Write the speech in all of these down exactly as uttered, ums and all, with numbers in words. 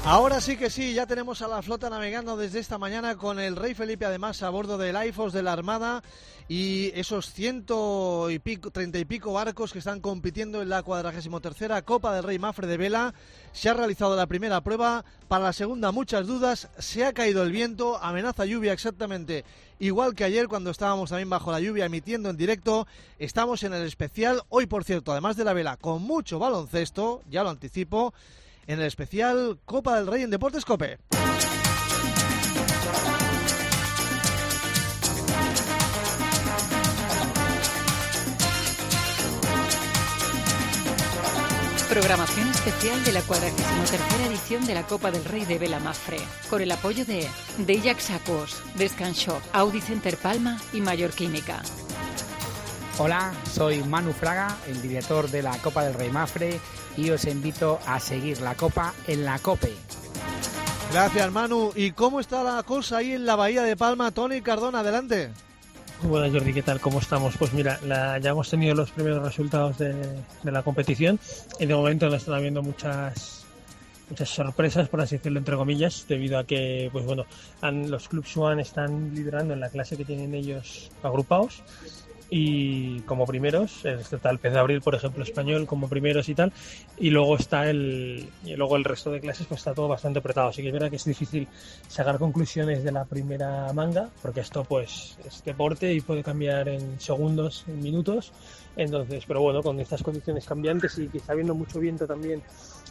Ahora sí que sí, ya tenemos a la flota navegando desde esta mañana con el Rey Felipe además a bordo del AIFOS de la Armada y esos ciento y pico, treinta y pico barcos que están compitiendo en la cuadragésimo tercera Copa del Rey Mafre de Vela. Se ha realizado la primera prueba, para la segunda muchas dudas, se ha caído el viento, amenaza lluvia exactamente igual que ayer cuando estábamos también bajo la lluvia emitiendo en directo. Estamos en el especial, hoy por cierto, además de la vela, con mucho baloncesto, ya lo anticipo, en el especial Copa del Rey en Deportes COPE. Programación especial de la cuadragésimo tercera edición de la Copa del Rey de Vela Mafre, con el apoyo de Deiax Aquos, Descanshop, Audi Center Palma y Mayor Química. Hola, soy Manu Fraga, el director de la Copa del Rey Mafre, y os invito a seguir la Copa en la COPE. Gracias, Manu. ¿Y cómo está la cosa ahí en la Bahía de Palma? Tony Cardona, adelante. Buenas, Jordi, ¿qué tal? ¿Cómo estamos? Pues mira, la, ya hemos tenido los primeros resultados de, de la competición y de momento no están habiendo muchas muchas sorpresas, por así decirlo, entre comillas, debido a que, pues bueno, han, los Club Swan están liderando en la clase que tienen ellos agrupados. Y como primeros está el Pez de Abril, por ejemplo, español como primeros y tal, y luego está el y luego el resto de clases, pues está todo bastante apretado, así que es verdad que es difícil sacar conclusiones de la primera manga, porque esto pues es deporte y puede cambiar en segundos, en minutos. Entonces, pero bueno, con estas condiciones cambiantes y quizá habiendo mucho viento también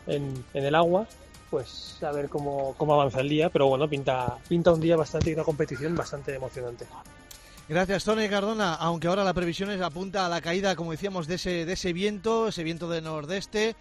en, en el agua, pues a ver cómo, cómo avanza el día, pero bueno, pinta, pinta un día bastante y una competición bastante emocionante. Gracias, Tony Cardona, aunque ahora la previsión es, apunta a la caída, como decíamos, de ese, de ese viento, ese viento de nordeste,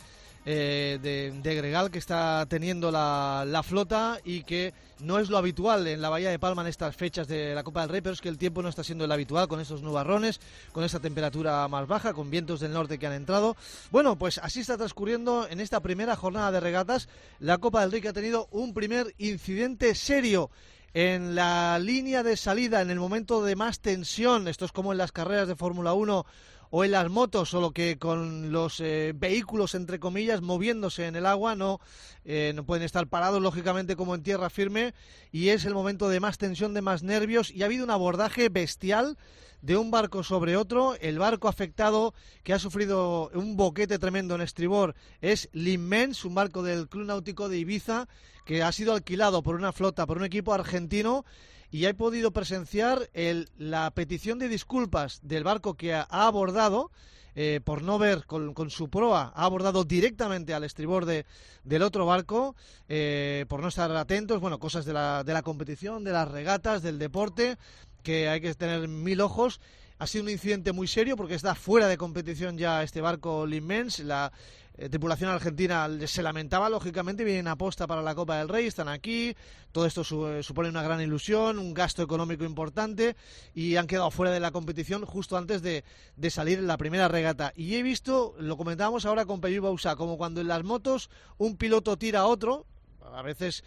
eh, de, de gregal que está teniendo la, la flota y que no es lo habitual en la Bahía de Palma en estas fechas de la Copa del Rey, pero es que el tiempo no está siendo el habitual con estos nubarrones, con esta temperatura más baja, con vientos del norte que han entrado. Bueno, pues así está transcurriendo en esta primera jornada de regatas la Copa del Rey, que ha tenido un primer incidente serio en la línea de salida, en el momento de más tensión. Esto es como en las carreras de Fórmula uno o en las motos, solo que con los eh, vehículos, entre comillas, moviéndose en el agua, no, eh, no pueden estar parados, lógicamente, como en tierra firme, y es el momento de más tensión, de más nervios, y ha habido un abordaje bestial de un barco sobre otro. El barco afectado, que ha sufrido un boquete tremendo en estribor, es l'Immens, un barco del Club Náutico de Ibiza, que ha sido alquilado por una flota, por un equipo argentino, y he podido presenciar el, la petición de disculpas del barco que ha, ha abordado, eh, por no ver con, con su proa, ha abordado directamente al estribor de, del otro barco, eh, por no estar atentos, bueno, cosas de la, de la competición, de las regatas, del deporte, que hay que tener mil ojos. Ha sido un incidente muy serio porque está fuera de competición ya este barco l'Immens. La eh, tripulación argentina se lamentaba, lógicamente, vienen a posta para la Copa del Rey, están aquí, todo esto su, eh, supone una gran ilusión, un gasto económico importante, y han quedado fuera de la competición justo antes de, de salir en la primera regata. Y he visto, lo comentábamos ahora con Peyu Bausá, como cuando en las motos un piloto tira a otro, a veces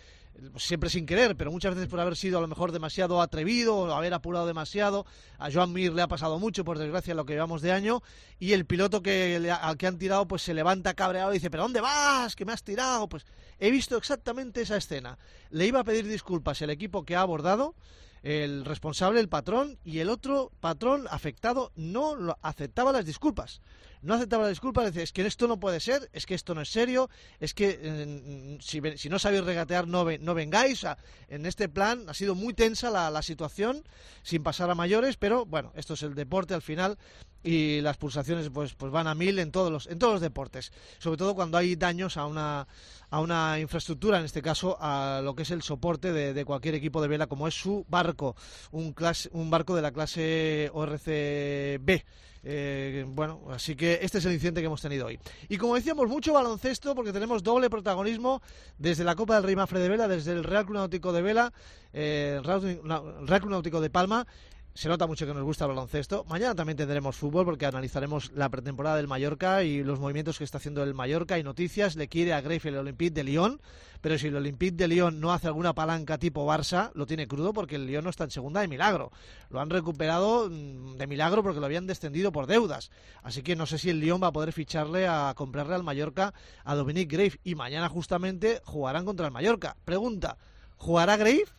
siempre sin querer, pero muchas veces por haber sido a lo mejor demasiado atrevido o haber apurado demasiado. A Joan Mir le ha pasado mucho, por desgracia, lo que llevamos de año, y el piloto que le, al que han tirado pues se levanta cabreado y dice: ¿pero dónde vas? ¿Que me has tirado? Pues he visto exactamente esa escena. Le iba a pedir disculpas el equipo que ha abordado, el responsable, el patrón, y el otro patrón afectado no lo aceptaba las disculpas. No aceptaba las disculpas, decía: es que esto no puede ser, es que esto no es serio, es que eh, si, si no sabéis regatear no, ven, no vengáis. O sea, en este plan ha sido muy tensa la, la situación, sin pasar a mayores, pero bueno, esto es el deporte al final, y las pulsaciones pues pues van a mil en todos los en todos los deportes, sobre todo cuando hay daños a una a una infraestructura, en este caso a lo que es el soporte de, de cualquier equipo de vela, como es su barco, un clase, un barco de la clase O R C B. Eh, bueno, así que este es el incidente que hemos tenido hoy. Y como decíamos, mucho baloncesto, porque tenemos doble protagonismo desde la Copa del Rey Mafre de Vela, desde el Real Club Náutico de Vela, eh, Real Club Náutico de Palma. se nota mucho que nos gusta el baloncesto. Mañana también tendremos fútbol porque analizaremos la pretemporada del Mallorca y los movimientos que está haciendo el Mallorca y noticias. Le quiere a Greif el Olympique de Lyon, pero si el Olympique de Lyon no hace alguna palanca tipo Barça, lo tiene crudo porque el Lyon no está en segunda de milagro. Lo han recuperado de milagro porque lo habían descendido por deudas. Así que no sé si el Lyon va a poder ficharle a comprarle al Mallorca a Dominique Greif. Y mañana justamente jugarán contra el Mallorca. Pregunta, ¿jugará Greif?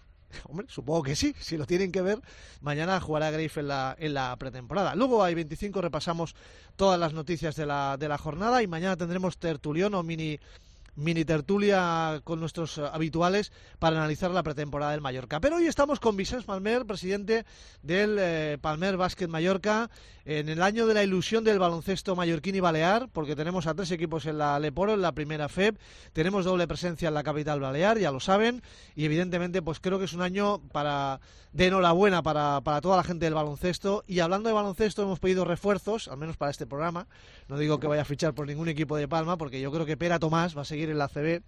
Hombre, supongo que sí, si lo tienen que ver. Mañana jugará Greif en la, en la pretemporada. Luego hay veinticinco, repasamos todas las noticias de la, de la jornada y mañana tendremos tertulión o mini, mini tertulia con nuestros habituales para analizar la pretemporada del Mallorca. Pero hoy estamos con Vicens Palmer, presidente del eh, Palmer Básquet Mallorca, en el año de la ilusión del baloncesto mallorquín y balear, porque tenemos a tres equipos en la Leporo, en la primera F E B, tenemos doble presencia en la capital balear, ya lo saben, y evidentemente pues creo que es un año para de enhorabuena para, para toda la gente del baloncesto. Y hablando de baloncesto, hemos pedido refuerzos, al menos para este programa. No digo que vaya a fichar por ningún equipo de Palma, porque yo creo que Pera Tomás va a seguir en la A C B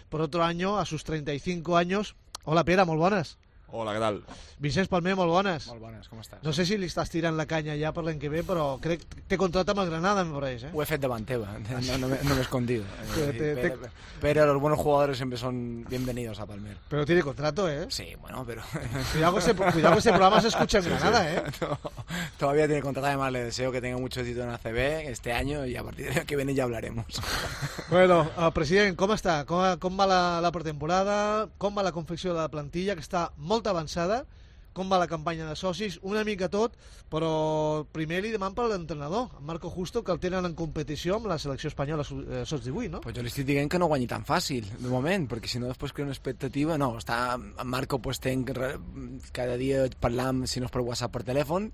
por otro año, a sus treinta y cinco años. Hola Pera, molt bones. Hola, què tal? Vicens Palmer, molt bones. Molt bones, com estàs? No sé si li estàs tirant la canya ja per l'any que ve, però crec que té contracte amb el Granada, me parece, ¿eh? Ho he fet davant teva, no, no, me, no me he escondido. Te, te, te... Pero, pero los buenos jugadores siempre son bienvenidos a Palmer. Pero tiene contrato, ¿eh? Sí, bueno, pero... Cuidado que ese, cuidado que ese programa se escucha en sí, Granada, ¿eh? No, todavía tiene contrato, además le deseo que tenga mucho éxito en A C B este año y a partir del año que viene ya hablaremos. Bueno, uh, president, com està? Com, com va la, la pretemporada? Com va la confecció de la plantilla, que està molt avançada? Com va la campanya de socis? Una mica tot, però primer li deman per l'entrenador, en Marco Justo, que el tenen en competició amb la selecció espanyola sots divuit, no? Pues jo li estic dient que no guanyi tan fàcil, de moment, perquè si no després crea una expectativa, no, està, en Marco pues tenc cada dia parlant, si no és per WhatsApp, per telèfon,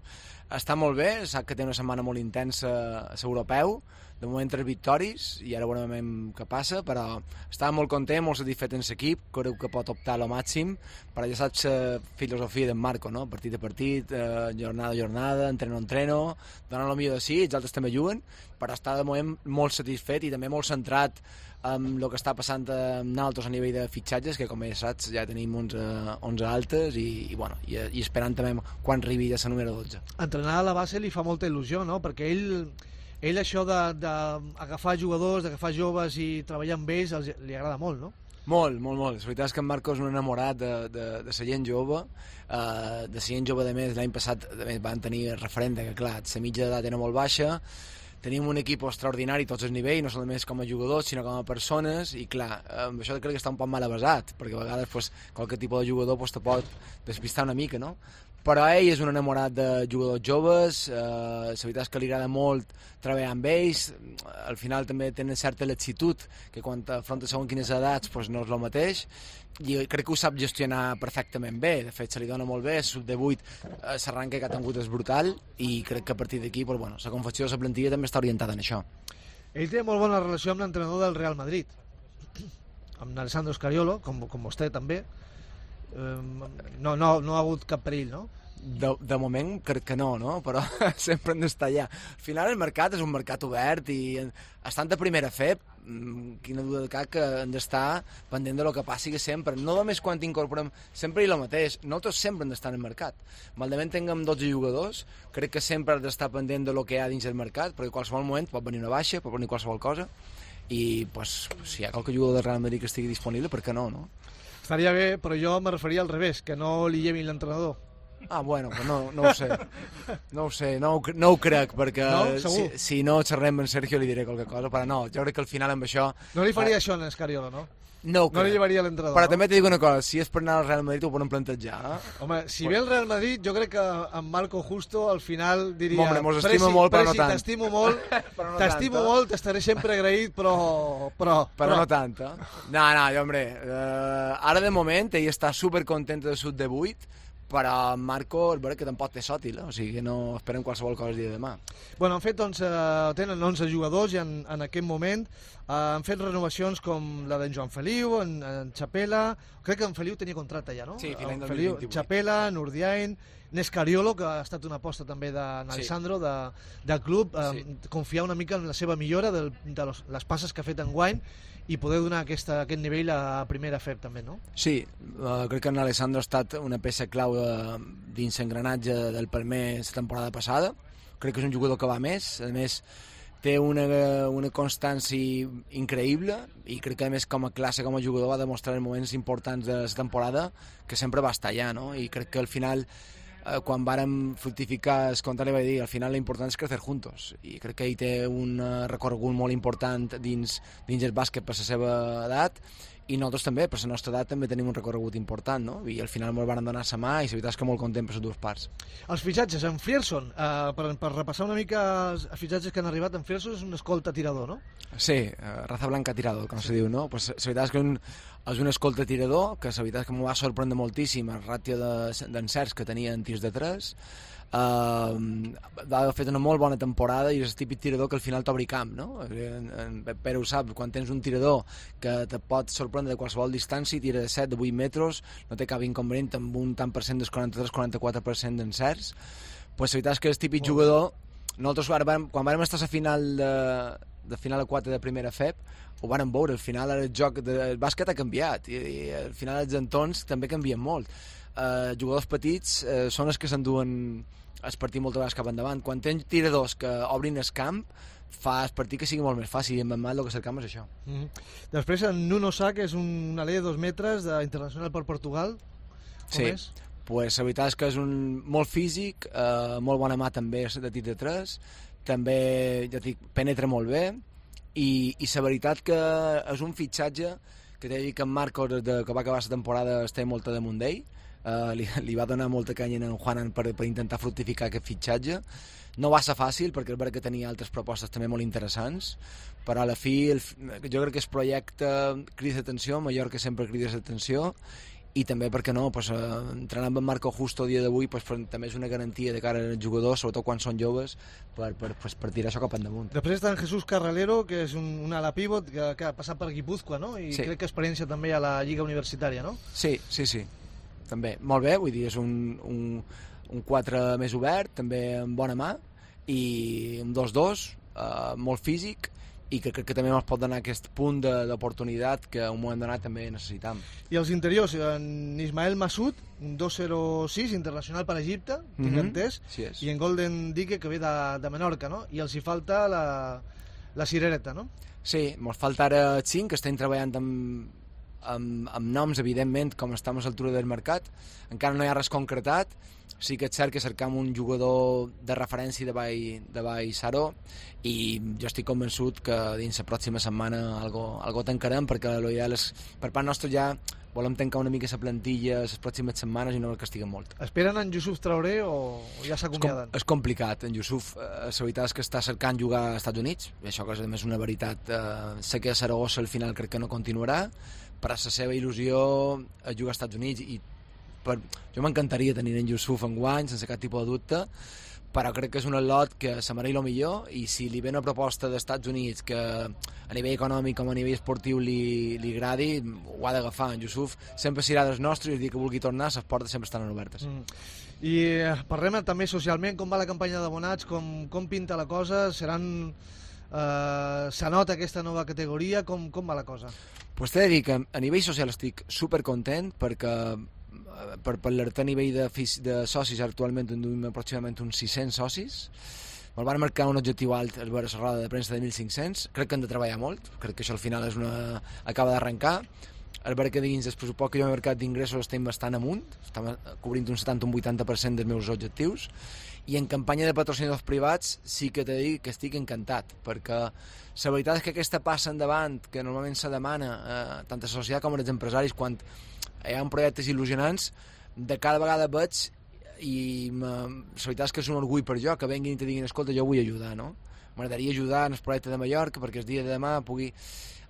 està molt bé, sap que té una setmana molt intensa a l'europeu, de moment tres victòries i ara veurem què passa, però estava molt content, molt satisfet en l'equip, creu que pot optar a lo màxim, però ja saps la filosofia d'en Marco, no? Partit a partit, eh, jornada a jornada, entreno a entreno, donant el millor de si, els altres també juguen, però està de moment molt satisfet i també molt centrat amb el que està passant amb nosaltres a nivell de fitxatges, que com ja saps ja tenim onze, onze altes i, i, bueno, i, i esperant també quan arribi ja la número dotze. Entrenar a la base li fa molta il·lusió, no? Perquè ell... Ell això d'agafar jugadors, d'agafar joves i treballar amb ells els, li agrada molt, no? Molt, molt, molt. La veritat és que en Marco és un enamorat de, de, de la gent jove, uh, de la gent jove de més. L'any passat també van tenir el referent que, clar, la mitja d'edat era molt baixa, tenim un equip extraordinari a tots els nivells, no solament com a jugadors, sinó com a persones, i clar, amb això crec que està un poc mal avasat, perquè a vegades pues, qualque tipus de jugador pues, te pot despistar una mica, no? Però ell és un enamorat de jugadors joves, eh, la veritat és que li agrada molt treballar amb ells, al final també tenen certa laxitud, que quan afronta segons quines edats pues, no és el mateix, i crec que ho sap gestionar perfectament bé, de fet se li dona molt bé, el sub divuit, eh, l'arranque que ha tingut és brutal, i crec que a partir d'aquí pues, bueno, la confecció de la plantilla també està orientada en això. Ell té molt bona relació amb l'entrenador del Real Madrid, amb Alessandro Scariolo, com, com vostè també. No, no, no ha hagut cap perill, no? De, de moment crec que no, no? Però sempre hem d'estar allà. Al final el mercat és un mercat obert i estant a primera F E B, quina duda de cap que hem d'estar pendent de lo que passi sempre. No només quan t'incorporem, sempre i el mateix. Nosaltres sempre hem d'estar en el mercat. Maldament tinguem dotze jugadors, crec que sempre has d'estar pendent de lo que hi ha dins del mercat, perquè en qualsevol moment pot venir una baixa, pot venir qualsevol cosa, i pues, si hi ha qualque jugador del Real Madrid que estigui disponible, per què no, no? Estaria bé, però jo me referia al revés, que no li llevin l'entrenador. Ah, bueno, pues no, no ho sé. No ho sé, no ho, no ho crec, perquè no? si, si no xerrem amb Sergio li diré qualque cosa, però no, jo crec que al final amb això... No li faria eh... això a Scariolo, no? No, no li llevaria l'entrenador. Però no? També t'he dit una cosa, si és per anar al Real Madrid ho poden plantejar. Eh? Home, si ve el Real Madrid, jo crec que en Marco Justo al final diria... Hombre, mos estimo molt, però no tant. T'estimo molt, no t'estimo tant, molt, t'estaré sempre agraït, però... Però, però, però no tant, eh? No, no, jo, hombre, eh, ara de moment ell està supercontent de sud divuit, però Marco, és vera que tampoc té sòtil, eh? O sigui que no esperem qualsevol cosa el dia de demà. Bueno, han fet onze, tenen onze jugadors i en, en aquest moment eh, han fet renovacions com la d'en Joan Feliu, en, en Chapela, crec que en Feliu tenia contracte ja, no? Sí, fins l'any dos mil Feliu, vint-i-vuit. Chapela, Nurdiain, Nescariolo, que ha estat una aposta també d'Alessandro, sí. de, del club, eh, sí. confiar una mica en la seva millora del, de los, les passes que ha fet enguany i poder donar aquesta, aquest nivell a primera F E P també, no? Sí, uh, crec que en Alessandro ha estat una peça clau uh, dins l'engranatge del Palmer la temporada passada. Crec que és un jugador que va més, a més té una, una constància increïble i crec que a més com a classe, com a jugador va demostrar en moments importants de la temporada que sempre va estar allà, no? I crec que al final eh, quan vàrem fructificar el compte li vaig dir, al final l'important és crecer juntos i crec que ell té un recorregut molt important dins, dins el bàsquet per la seva edat i nosaltres també, per la nostra edat també tenim un recorregut important, no? I al final ens van donar la mà i la veritat és que molt content per les dues parts. Els fitxatges, en Frierson, eh, per, per repassar una mica els fitxatges que han arribat, en Frierson és un escolta tirador, no? Sí, eh, raza blanca tirador, com sí. se diu, no? Pues, la veritat és que un, és un escolta tirador, que la veritat és que m'ho va sorprendre moltíssim el ràtio d'encerts que tenia en tirs de tres. Uh, ha fet una molt bona temporada i és el típic tirador que al final t'obri camp, no? En, en Pere ho sap, quan tens un tirador que te pot sorprendre de qualsevol distància, tira de set, de vuit metres, no té cap inconvenient amb un tant per cent del quaranta-tres quaranta-quatre per cent d'encerts, pues la veritat és que és típic jugador. Nosaltres vam, quan vam estar a la final de, de final a quatre de primera F E P ho vàrem veure, al final el joc del bàsquet ha canviat i, i al final els entorns també canvien molt. Uh, jugadors petits uh, són els que s'enduen el partit moltes vegades cap endavant. Quan tens tiradors que obrin el camp fa el partit que sigui molt més fàcil i en mal el que cercam és això. Mm -hmm. Després en Nuno Sá, que és un alè de dos metres d'internacional per Portugal, com sí. és? Pues, la veritat és que és un molt físic, eh, molt bona mà també de tir de tres, també ja dic, penetra molt bé i, i la veritat que és un fitxatge que t'he dit que en Marcos, de, que va acabar la temporada, està molta damunt d'ell. Uh, li, li va donar molta canya en Juanan per, per intentar fructificar aquest fitxatge. No va ser fàcil perquè és veritat que tenia altres propostes també molt interessants, però a la fi el, jo crec que el projecte crida atenció, Mallorca sempre crida atenció i també, perquè no, pues, uh, entrenar amb en Marco Justo el dia d'avui pues, també és una garantia de cara als jugadors, sobretot quan són joves, per, per, pues, per tirar això cap endamunt. Després està en Jesús Carralero, que és un, un ala pivot que, que ha passat per Guipúzcoa, no? I sí. crec que experiència també a la Lliga Universitària, no? Sí, sí, sí. També, molt bé, vull dir, és un, un, un quatre més obert, també amb bona mà, i un dos dos, eh, molt físic, i que crec que també ens pot donar aquest punt d'oportunitat que a un moment donat també necessitam. I els interiors, en Ismael Massoud, un dos zero sis, internacional per Egipte, tinc mm -hmm. entès, sí és. I en Golden Dique, que ve de, de Menorca, no? I els hi falta la, la cirereta, no? Sí, ens falta ara cinc, que estem treballant amb Amb, amb noms, evidentment, com estem a l'altura del mercat. Encara no hi ha res concretat. Sí que és cert que cercam un jugador de referència de Vall, de Vall Saró i jo estic convençut que dins la pròxima setmana algo, algo tancarem, perquè l'ideal és, per part nostra ja volem tancar una mica la plantilla les pròximes setmanes i no que estiguen molt. Esperen en Yusuf Traoré o ja s'acomiaden? És, com, és complicat. En Yusuf, eh, la veritat és que està cercant jugar als Estats Units, i això que és a més una veritat. Eh, sé que a Saragossa al final crec que no continuarà, per a la seva il·lusió a jugar als Estats Units i per, jo m'encantaria tenir en Yusuf enguany sense cap tipus de dubte, però crec que és un atlot que se mereix el millor i si li ve una proposta dels Estats Units que a nivell econòmic com a nivell esportiu li, li agradi, ho ha d'agafar. En Yusuf sempre serà dels nostres i el dia que vulgui tornar les portes sempre estan obertes. Mm. I eh, parlem també socialment, com va la campanya d'abonats, com, com pinta la cosa, seran... Uh, se nota aquesta nova categoria, com, com va la cosa? Pues t'he de dir que a nivell social estic supercontent perquè per parlar-te a nivell de, de socis actualment tenim aproximadament uns sis-cents socis. Me'l van marcar un objectiu alt a la roda de premsa de mil cinc-cents. Crec que hem de treballar molt, crec que això al final és una... acaba d'arrencar. El veure que dins el pressupost que jo he marcat d'ingressos estem bastant amunt, estem cobrint un setanta a un vuitanta per cent dels meus objectius, i en campanya de patrocinadors privats sí que t'he dit que estic encantat, perquè la veritat és que aquesta passa endavant que normalment se demana eh, tant a la societat com als empresaris quan hi ha projectes il·lusionants, de cada vegada veig i la veritat és que és un orgull per jo que venguin i te diguin, escolta, jo vull ajudar, no? M'agradaria ajudar en el projecte de Mallorca perquè el dia de demà pugui...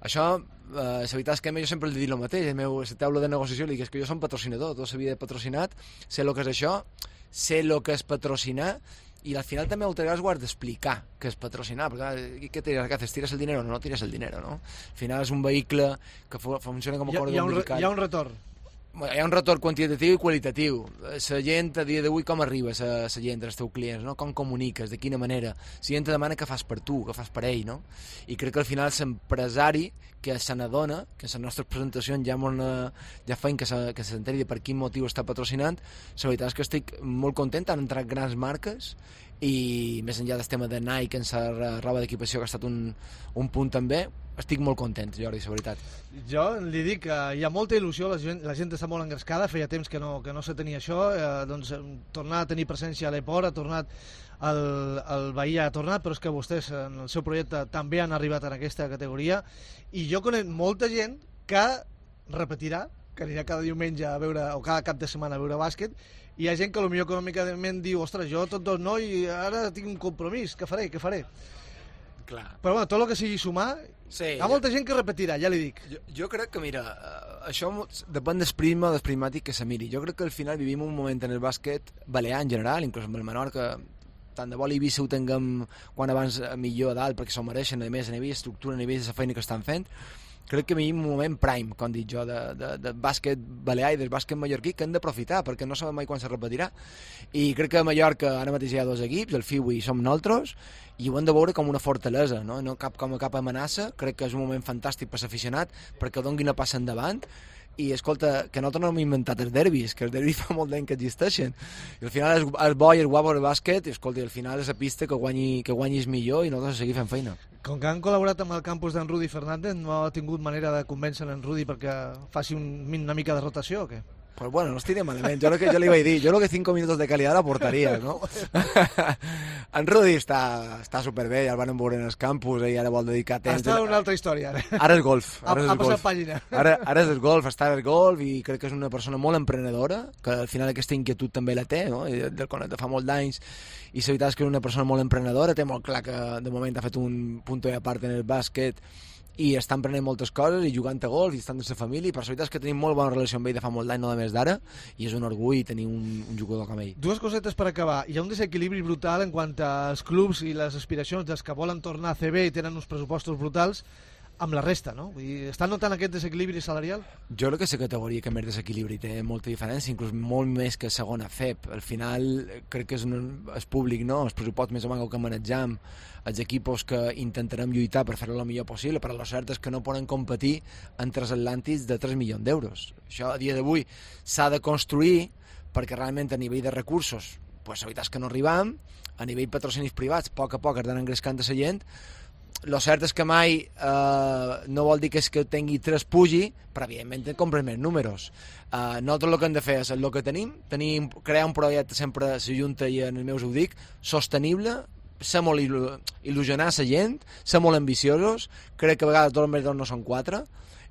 Això, eh, la veritat és que a mi jo sempre li dic el mateix, el meu, la taula de negociació li dic, és que jo som patrocinador, tota la vida he patrocinat, sé el que és això, sé el que és patrocinar, i al final també moltes vegades ho has d'explicar què és patrocinar, perquè què tires, què haces, tires el dinero? No, no tires el dinero, no? Al final és un vehicle que funciona com a corda umbilical. Hi ha un retorn. Hi ha un retorn quantitatiu i qualitatiu. La gent a dia d'avui com arriba la gent, els teus clients, no? Com comuniques, de quina manera. La gent te demana què fas per tu, què fas per ell, no? I crec que al final l'empresari que se n'adona, que en les nostres presentacions ja, una, ja feim que s'enteri de per quin motiu està patrocinant, la veritat és que estic molt content, han entrat grans marques i més enllà del tema de Nike en la roba d'equipació que ha estat un, un punt també, estic molt content, Jordi, la veritat. Jo li dic que hi ha molta il·lusió, la gent, la gent està molt engrescada, feia temps que no, que no se tenia això, eh, doncs tornar a tenir presència a l'Eport, ha tornat el, el Bahia ha tornat, però és que vostès en el seu projecte també han arribat en aquesta categoria i jo conec molta gent que repetirà, que anirà cada diumenge a veure, o cada cap de setmana a veure bàsquet, i hi ha gent que potser econòmicament diu, ostres, jo tot dos no i ara tinc un compromís, què faré, què faré? Clar. Però bueno, tot el que sigui sumar, sí, hi ha molta gent que repetirà, ja li dic. Jo, jo crec que, mira, això depèn del prisma o del prismàtic que se miri. Jo crec que al final vivim un moment en el bàsquet balear en general, inclús amb el Menorca, tant de bo l'Eivissa ho tinguem quan abans millor a dalt, perquè s'ho mereixen, a més, a nivell d'estructura, a nivell de la feina que estan fent. Crec que vivim un moment prime, com dic jo, de, de, de bàsquet balear i del bàsquet mallorquí que hem d'aprofitar, perquè no sabem mai quan se repetirà. I crec que a Mallorca ara mateix hi ha dos equips, el F I U i som nosaltres, i ho hem de veure com una fortalesa, no, no cap, com a cap amenaça. Crec que és un moment fantàstic per l'aficionat, perquè doni una passa endavant, i escolta, que nosaltres no hem inventat els derbis, que els derbis fa molt d'any que existeixen, i al final és, és bo i és guapo el bàsquet, i escolta, al final és la pista que, guanyi, que guanyis millor i nosaltres seguim fent feina. Com que han col·laborat amb el campus d'en Rudi Fernández, no ha tingut manera de convèncer en Rudi perquè faci un, una mica de rotació o què? Pues bueno, no estic de malament, jo, que, jo li vaig dir, jo crec que cinco minutos de calidad l'aportaria, no? En Rudi està, està superbé, ja el van veure en els campus, i ara vol dedicar temps... Està una altra història, ara. Ara és golf. Ara ha és ha golf. passat pàgina. Ara, ara és el golf, està el golf, i crec que és una persona molt emprenedora, que al final aquesta inquietud també la té, no? I del conec de fa molt d'anys, i la veritat és que és una persona molt emprenedora, té molt clar que de moment ha fet un punt a part en el bàsquet, i estan prenent moltes coses i jugant a golf i estan amb la família, i per la veritat és que tenim molt bona relació amb ell de fa molt d'any, no només d'ara, i és un orgull tenir un, un jugador com ell. Dues cosetes per acabar. Hi ha un desequilibri brutal en quant als clubs i les aspiracions dels que volen tornar a C B i tenen uns pressupostos brutals amb la resta, no? Vull dir, estan notant aquest desequilibri salarial? Jo crec que la categoria que més desequilibri té molta diferència, inclús molt més que segona F E P. Al final crec que és, un, és públic, no? El pressupost més o menys que manejam, els equipos que intentarem lluitar per fer-ho el millor possible, però la cert és que no poden competir entre els atlàntics de tres milions d'euros. Això a dia d'avui s'ha de construir perquè realment a nivell de recursos pues, la veritat és que no arribam, a nivell patrocinis privats a poc a poc es van engrescant a la gent. Lo cert és que mai eh, no vol dir que és que tingui tres pugi, però evidentment compres més números. Eh, nosaltres el que hem de fer és el que tenim, tenim crear un projecte sempre la Junta i en el meu ho dic, sostenible, ser molt il·lusionar la gent, ser molt ambiciosos, crec que a vegades dos més dos no són quatre,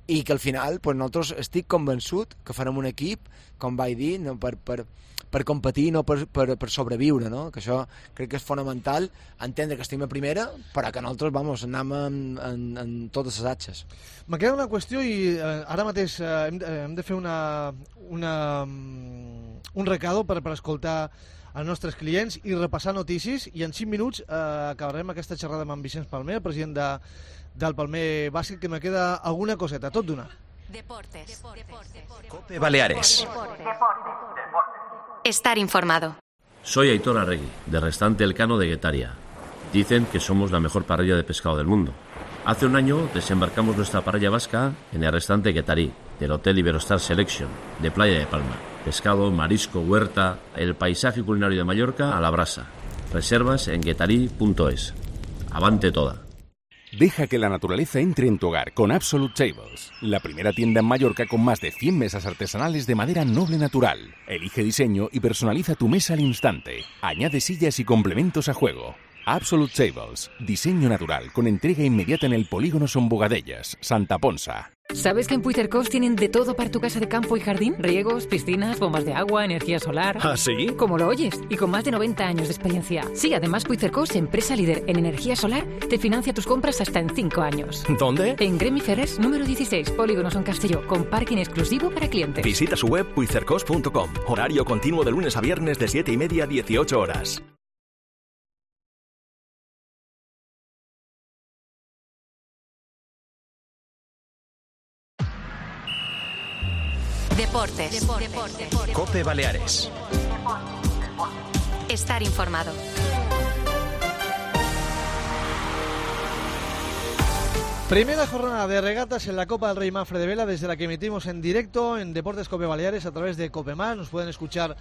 i que al final pues, nosaltres estic convençut que farem un equip, com vaig dir, no, per, per, per competir, no per, per, per sobreviure, no? Que això crec que és fonamental, entendre que estem a primera, però que nosaltres vamos, anem en, en, en totes les atxes. Me queda una qüestió i eh, ara mateix eh, hem, de, hem de fer una, una, un recado per, per escoltar als nostres clients i repassar notícies, i en cinc minuts eh, acabarem aquesta xerrada amb en Vicenç Palmer, el president de, del Palmer Bàsquet, que me queda alguna coseta, tot d'una. Deportes. Deportes. Cope Baleares. Estar informado. Soy Aitor Arregui, de Restaurante Elcano de Guetaria. Dicen que somos la mejor parrilla de pescado del mundo. Hace un año desembarcamos nuestra parrilla vasca en el restaurante Guetarí, del Hotel Iberostar Selection, de Playa de Palma. Pescado, marisco, huerta, el paisaje culinario de Mallorca a la brasa. Reservas en guetarí punto es. Avante toda. Deja que la naturaleza entre en tu hogar con Absolute Tables, la primera tienda en Mallorca con más de cien mesas artesanales de madera noble natural. Elige diseño y personaliza tu mesa al instante. Añade sillas y complementos a juego. Absolute Tables, diseño natural con entrega inmediata en el polígono Son Bogadellas, Santa Ponsa. ¿Sabes que en Puigcercós tienen de todo para tu casa de campo y jardín? Riegos, piscinas, bombas de agua, energía solar... ¿Ah, sí? Como lo oyes, y con más de noventa años de experiencia. Sí, además Puigcercós, empresa líder en energía solar, te financia tus compras hasta en cinco años. ¿Dónde? En Gremi Ferrers, número dieciséis, Polígono Son Castelló, con parking exclusivo para clientes. Visita su web puigcercós punto com. Horario continuo de lunes a viernes de siete y media a dieciocho horas. Deportes. Deportes. COPE Baleares. Estar informado. Primera jornada de regatas en la Copa del Rey Mafre de Vela, desde la que emitimos en directo en Deportes Cope Baleares a través de Cope Más. Nos pueden escuchar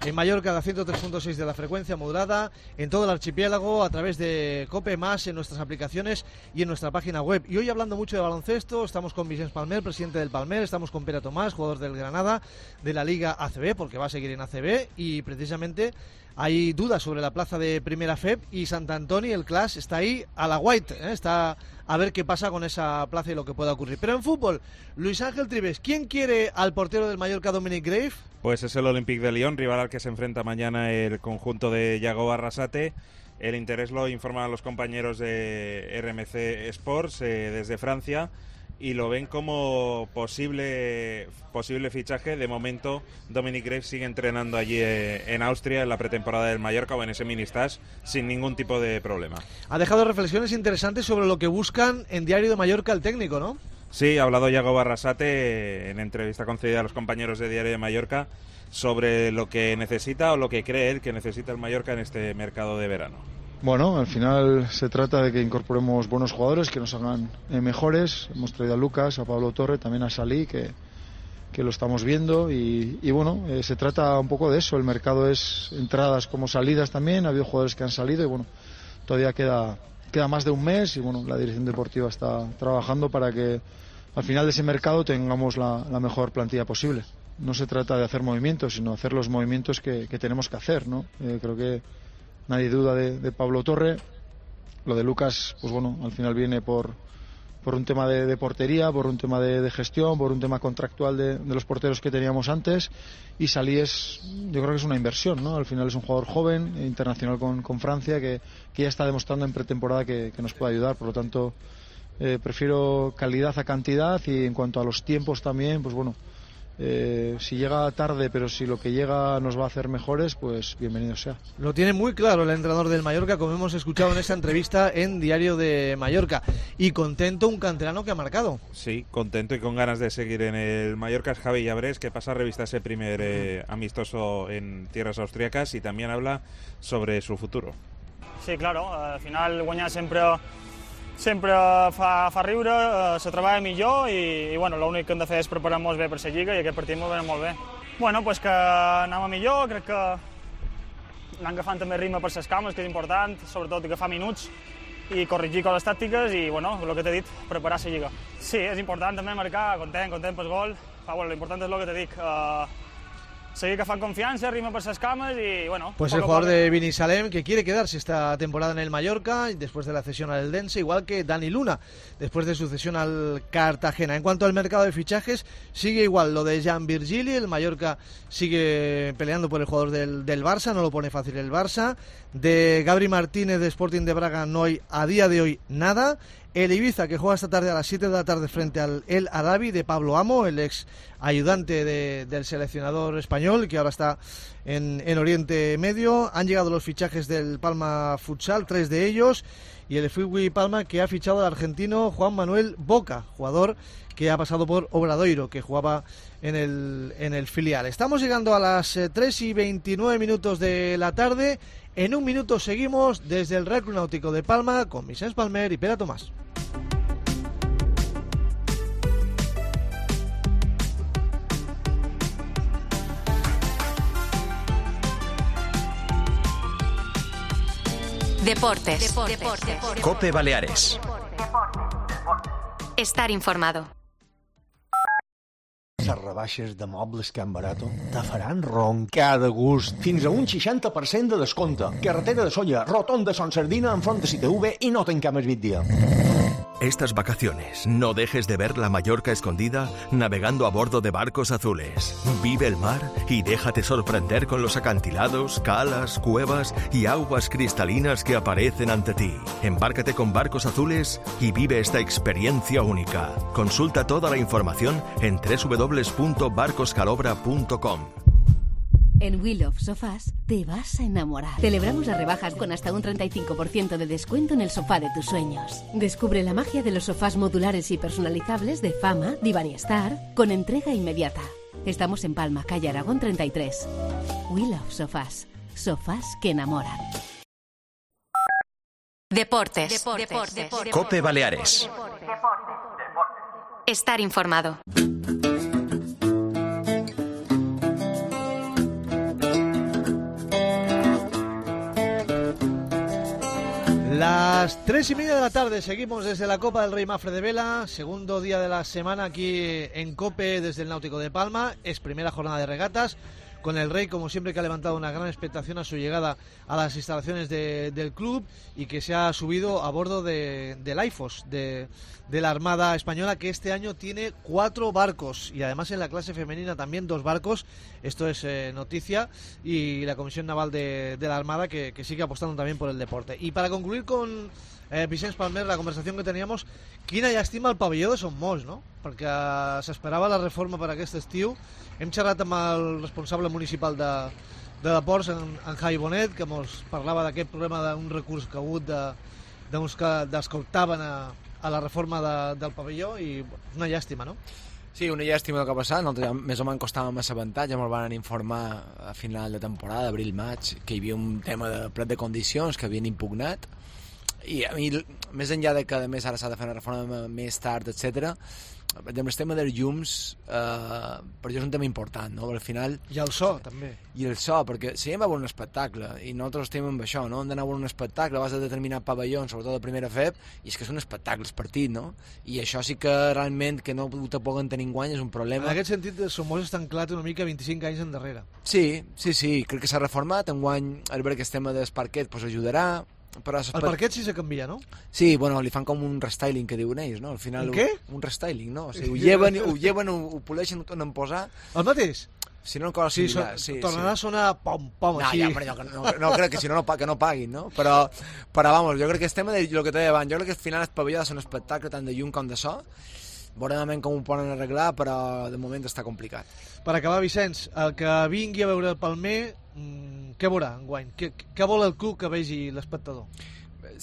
en Mallorca a la ciento tres punto seis de la frecuencia modulada, en todo el archipiélago a través de Cope Más, en nuestras aplicaciones y en nuestra página web. Y hoy, hablando mucho de baloncesto, estamos con Vicens Palmer, presidente del Palmer, estamos con Pere Tomàs, jugador del Granada, de la Liga A C B, porque va a seguir en A C B, y precisamente hay dudas sobre la plaza de Primera F E P, y Sant Antoni, el Clas, está ahí a la white, ¿eh? Está a ver qué pasa con esa plaza y lo que pueda ocurrir. Pero en fútbol, Luis Ángel Trives, ¿quién quiere al portero del Mallorca, Dominic Grave? Pues es el Olympique de Lyon, rival al que se enfrenta mañana el conjunto de Yago Arrasate. El interés lo informan los compañeros de R M C Sports eh, desde Francia, y lo ven como posible posible fichaje. De momento, Dominic Grave sigue entrenando allí eh, en Austria, en la pretemporada del Mallorca o en ese mini-stage, sin ningún tipo de problema. Ha dejado reflexiones interesantes sobre lo que buscan en Diario de Mallorca el técnico, ¿no? Sí, ha hablado Yago Arrasate en entrevista concedida a los compañeros de Diario de Mallorca sobre lo que necesita o lo que cree él que necesita el Mallorca en este mercado de verano. Bueno, al final se trata de que incorporemos buenos jugadores que nos hagan eh, mejores. Hemos traído a Lucas, a Pablo Torre, también a Salí, que, que lo estamos viendo, y, y bueno, eh, se trata un poco de eso. El mercado es entradas como salidas también, ha habido jugadores que han salido y bueno, todavía queda, queda más de un mes, y bueno, la dirección deportiva está trabajando para que al final de ese mercado tengamos la, la mejor plantilla posible. No se trata de hacer movimientos, sino hacer los movimientos que, que tenemos que hacer, ¿no? Eh, creo que nadie duda de, de Pablo Torre. Lo de Lucas, pues bueno, al final viene por, por un tema de, de portería, por un tema de, de gestión, por un tema contractual de, de los porteros que teníamos antes. Y Salí es, yo creo que es una inversión, ¿no? Al final es un jugador joven, internacional con, con Francia, que, que ya está demostrando en pretemporada que, que nos puede ayudar. Por lo tanto, eh, prefiero calidad a cantidad, y en cuanto a los tiempos también, pues bueno, Eh, si llega tarde, pero si lo que llega nos va a hacer mejores, pues bienvenido sea. Lo tiene muy claro el entrenador del Mallorca, como hemos escuchado en esta entrevista en Diario de Mallorca. Y contento un canterano que ha marcado. Sí, contento y con ganas de seguir en el Mallorca es Javi Llabrés, que pasa a revista ese primer eh, amistoso en tierras austríacas, y también habla sobre su futuro. Sí, claro, al final guanyar sempre sempre fa, fa riure, eh, se treballa millor, i, i bueno, l'únic que hem de fer és preparar-nos bé per la Lliga, i aquest partit m'ho veurem molt bé. Bueno, pues que anem a millor, crec que anem agafant també ritme per les cames, que és important, sobretot agafar minuts i corregir coses tàctiques, i bueno, el que t'he dit, preparar la Lliga. Sí, és important també marcar, content, content pel gol, però bueno, l'important és el que t'he dit, eh, seguir agafant confiança, ritme per les cames, y bueno... Pues el jugador de Binissalem, que quiere quedarse esta temporada en el Mallorca después de la cesión al Eldense, igual que Dani Luna después de su cesión al Cartagena. En cuanto al mercado de fichajes, sigue igual lo de Jan Virgili. El Mallorca sigue peleando por el jugador del, del Barça, no lo pone fácil el Barça. De Gabri Martínez de Sporting de Braga no hay a día de hoy nada. El Ibiza, que juega esta tarde a las siete de la tarde frente al El Arabi de Pablo Amo, el ex ayudante de, del seleccionador español, que ahora está en, en Oriente Medio. Han llegado los fichajes del Palma Futsal, tres de ellos, y el Fútbol Palma, que ha fichado al argentino Juan Manuel Boca, jugador que ha pasado por Obradoiro, que jugaba en el, en el filial. Estamos llegando a las eh, tres y veintinueve minutos de la tarde. En un minuto seguimos desde el Real Club Náutico de Palma con Vicens Palmer y Pere Tomàs. Deportes. Deportes. Deportes. COPE Baleares. Estar informado. Les rebaixes de mobles Can Barato te faran roncar de gust. Fins a un seixanta per cent de descompte. Carretera de Solla, rotonda Son Sardina, enfront de C T V, i no tanquem el dia. Estas vacaciones no dejes de ver la Mallorca escondida navegando a bordo de barcos azules. Vive el mar y déjate sorprender con los acantilados, calas, cuevas y aguas cristalinas que aparecen ante ti. Embárcate con Barcos Azules y vive esta experiencia única. Consulta toda la información en doble u doble u doble u punto barcos calobra punto com. En Wheel of Sofás te vas a enamorar. Celebramos las rebajas con hasta un treinta y cinco por ciento de descuento en el sofá de tus sueños. Descubre la magia de los sofás modulares y personalizables de Fama, Divan y Star, con entrega inmediata. Estamos en Palma, calle Aragón treinta y tres. We Love Sofás. Sofás que enamoran. Deportes. Deportes. Deportes. Cope Baleares. Estar informado. Las tres y media de la tarde, seguimos desde la Copa del Rey Mafre de Vela, segundo día de la semana aquí en Cope desde el Náutico de Palma, es primera jornada de regatas, con el Rey como siempre que ha levantado una gran expectación a su llegada a las instalaciones de, del club y que se ha subido a bordo de, del AIFOS, de, de la Armada Española, que este año tiene cuatro barcos y además en la clase femenina también dos barcos, esto es eh, noticia, y la Comisión Naval de, de la Armada que, que sigue apostando también por el deporte. Y para concluir con eh, Vicenç Palmer, la conversación que teníamos, quina llàstima el pavelló de Son Mos, no? Perquè s'esperava la reforma per aquest estiu. Hem xerrat amb el responsable municipal de, de Deports, en, en Javi Bonet, que ens parlava d'aquest problema d'un recurs que ha hagut de, d'uns que descomptaven a, a la reforma de, del pavelló, i una llàstima, no? Sí, una llàstima el que ha passat. Nosaltres més o menys costàvem assabentar, ja ens van informar a final de temporada, abril-maig, que hi havia un tema de plet de condicions que havien impugnat, i a mi, més enllà de que a més ara s'ha de fer una reforma més tard, etcètera, el tema dels llums eh, per jo és un tema important, no? Al final, i el so també, i el so, perquè si hem a veure un espectacle i nosaltres estem amb això, no? Hem d'anar a veure un espectacle, vas a determinat pavelló, sobretot de primera F E P, i és que és un espectacle, és partit, no? I això sí que realment que no te puguen tenir enguany és un problema. En aquest sentit, Somos està anclat una mica vint-i-cinc anys endarrere. Sí, sí, sí, crec que s'ha reformat, enguany al veure aquest tema del parquet pues, ajudarà. Però el parquet sí se canvia, no? Sí, bueno, li fan com un restyling que diuen ells, no? Al final, un què? Un restyling, no? O sigui, ho lleven, ho, lleven, ho, ho poleixen, ho tornen a posar. El mateix? Si no, cosa sí, similar. So, sí, tornarà sí. a sonar pom-pom, no, així. Ja, però no, no, no crec que si no, no, que no paguin, no? Però, però vamos, jo crec que el tema de lo que te deia abans, jo crec que al final el pavelló ha de ser un espectacle tant de llum com de so. Veurem com ho poden arreglar, però de moment està complicat. Per acabar, Vicenç, el que vingui a veure el Palmer, mmm, què veurà enguany? Què, què vol el club que vegi l'espectador?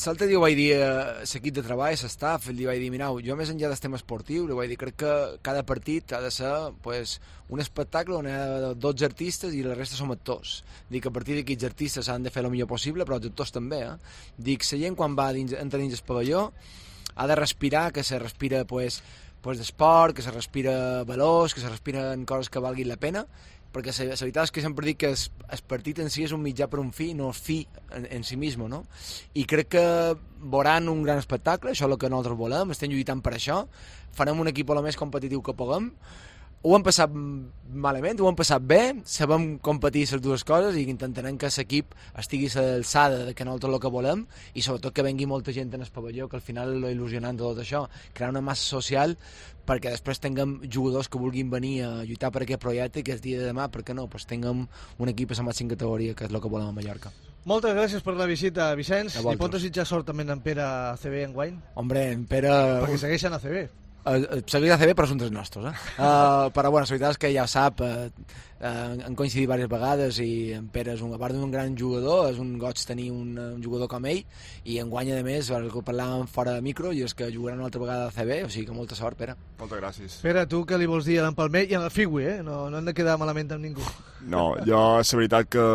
L'altre dia ho vaig dir a l'equip de treball, l'estaf, li vaig dir, mirau, jo més enllà del tema esportiu, li vaig dir, crec que cada partit ha de ser pues, un espectacle on hi ha dotze artistes i la resta som actors. Dic que a partir d'aquests artistes han de fer el millor possible, però els actors també. Eh? Dic, la gent quan va dins, entra dins el pavelló ha de respirar, que se respira pues, pues, d'esport, que se respira valors, que se respiren coses que valguin la pena, perquè la veritat és que sempre dic que el, el partit en si és un mitjà per un fi, no és fi en, en si mismo, no? I crec que veuran un gran espectacle, això és el que nosaltres volem, estem lluitant per això, farem un equip el més competitiu que puguem, ho hem passat malament, ho hem passat bé, sabem competir les dues coses i intentarem que l'equip estigui a l'alçada de que nosaltres el que volem i sobretot que vengui molta gent en el pavelló, que al final és il·lusionant de tot això, crear una massa social perquè després tinguem jugadors que vulguin venir a lluitar per aquest projecte i que el dia de demà, per què no, pues tinguem un equip a la màxima categoria, que és el que volem a Mallorca. Moltes gràcies per la visita, Vicenç. I pot desitjar sort també en Pere a C B enguany? Hombre, en Pere... Perquè segueixen a C B. Uh, segueix a C B però són dels nostres eh? uh, però bueno, la veritat és que ja sap uh, uh, han coincidit diverses vegades i en Pere és un, a part d'un gran jugador és un goig tenir un, un jugador com ell i enguany a més, el que parlàvem fora de micro i és que jugaran una altra vegada a C B, o sigui que molta sort, Pere. Moltes gràcies. Pere, tu què li vols dir a l'en Palmer i a la Figui, eh? No, no hem de quedar malament amb ningú. No, jo la veritat que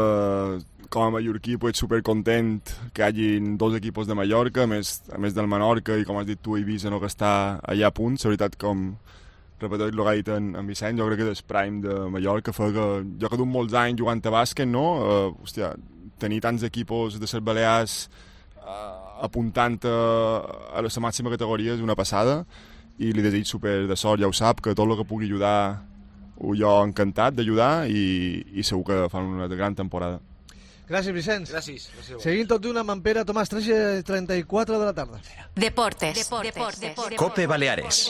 com a mallorquí pues, supercontent que hi hagin dos equipos de Mallorca, a més, a més del Menorca i com has dit tu, Eivissa, no, que està allà a punt. La veritat, com repeteix el que ha dit en, en Vicenç, jo crec que és el prime de Mallorca fa que jo que duc molts anys jugant a bàsquet, no? Uh, hòstia, tenir tants equipos de les Balears uh, apuntant a, a la màxima categoria és una passada i li desig super de sort, ja ho sap, que tot el que pugui ajudar ho jo encantat d'ajudar i, i segur que fan una gran temporada. Gràcies, Vicenç. Gràcies. Gràcies. Seguint tot d'una amb Pere Tomàs, tres i trenta i quatre de la tarda. Deportes. Deportes. Deportes. Cope Baleares.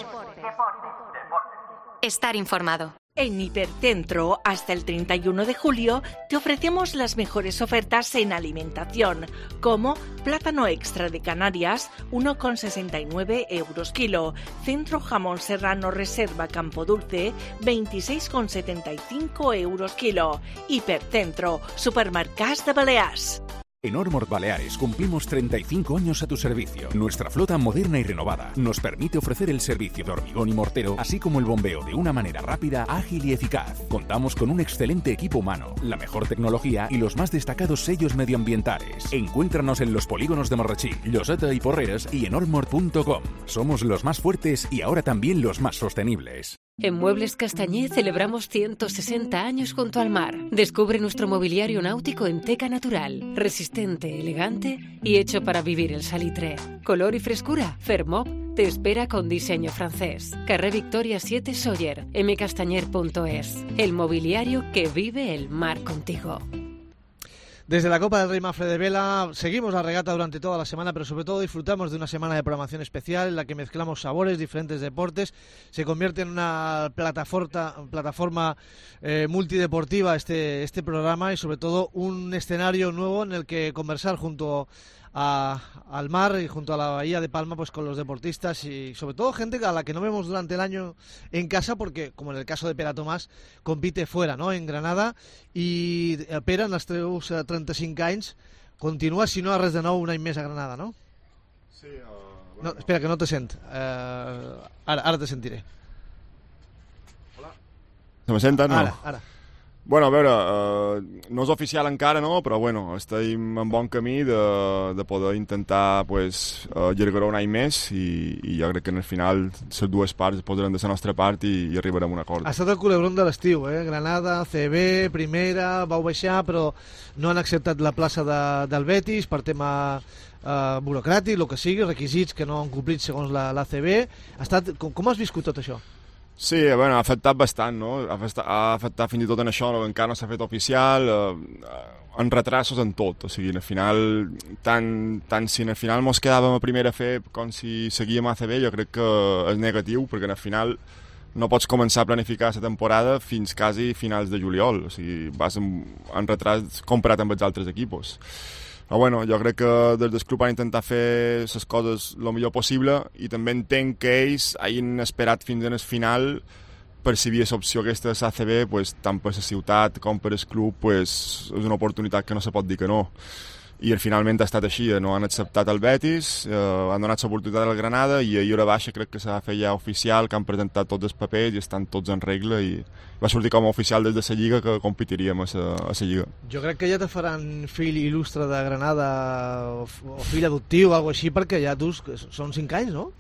Estar informado. En Hipercentro, hasta el treinta y uno de julio, te ofrecemos las mejores ofertas en alimentación, como plátano extra de Canarias, uno con sesenta y nueve euros kilo, centro jamón serrano reserva Campo Dulce, veintiséis con setenta y cinco euros kilo. Hipercentro, supermercats de Balears. En Ormord Baleares cumplimos treinta y cinco años a tu servicio. Nuestra flota moderna y renovada nos permite ofrecer el servicio de hormigón y mortero, así como el bombeo de una manera rápida, ágil y eficaz. Contamos con un excelente equipo humano, la mejor tecnología y los más destacados sellos medioambientales. Encuéntranos en los polígonos de Marrachí, Lloseta y Porreres y en ormord punto com. Somos los más fuertes y ahora también los más sostenibles. En Muebles Castañé celebramos ciento sesenta años junto al mar. Descubre nuestro mobiliario náutico en teca natural, resistente, elegante y hecho para vivir el salitre. Color y frescura, Fermob te espera con diseño francés. Carré Victoria siete Sóller, m castañer punto es. El mobiliario que vive el mar contigo. Desde la Copa del Rey Mafre de Vela seguimos la regata durante toda la semana, pero sobre todo disfrutamos de una semana de programación especial en la que mezclamos sabores, diferentes deportes. Se convierte en una plataforma, plataforma eh, multideportiva este, este programa y sobre todo un escenario nuevo en el que conversar junto a, al mar y junto a la bahía de Palma pues con los deportistas y sobre todo gente a la que no vemos durante el año en casa porque, como en el caso de Pere Tomàs, compite fuera, ¿no?, en Granada, i Pere, en els teus trenta-cinc anys, continua, si no a res de nou, un any més a Granada, no? Sí. Uh, bueno. No, espera, que no te sent. Uh, ara, ara te sentiré. Hola. Se me senten? No. Ara, ara. Bueno, a veure, eh, no és oficial encara, no? Però bueno, estem en bon camí de, de poder intentar pues, allargar un any més i, i jo crec que en el final les dues parts posaran de la nostra part i, i arribarem a un acord. Ha estat el culebrón de l'estiu, eh? Granada, C B, primera, vau baixar, però no han acceptat la plaça de, del Betis per tema eh, burocràtic, el que sigui, requisits que no han complit segons la, la C B. Ha estat, com, com has viscut tot això? Sí, bueno, ha afectat bastant, no? Ha afectat, ha afectat fins i tot en això, no? Encara no s'ha fet oficial, eh, en retrasos en tot, o sigui, al final, tant, tant si al final mos quedàvem a primera F E P com si seguíem a A C B, jo crec que és negatiu, perquè al final no pots començar a planificar la temporada fins quasi finals de juliol, o sigui, vas en, en retras comparat amb els altres equipos. Però bueno, jo crec que des del club han intentat fer les coses el millor possible i també entenc que ells hagin esperat fins en el final per si hi havia l'opció aquesta de l'A C B, pues, tant per la ciutat com per el club, pues, és una oportunitat que no se pot dir que no. I finalment ha estat així, no han acceptat el Betis, eh, han donat l'oportunitat al Granada i ahir hora baixa crec que s'ha fet ja oficial, que han presentat tots els papers i estan tots en regla i va sortir com a oficial des de la Lliga que competiríem a la Lliga. Jo crec que ja te faran fill il·lustre de Granada o, o fill adoptiu o alguna així perquè ja tu són cinc anys, no?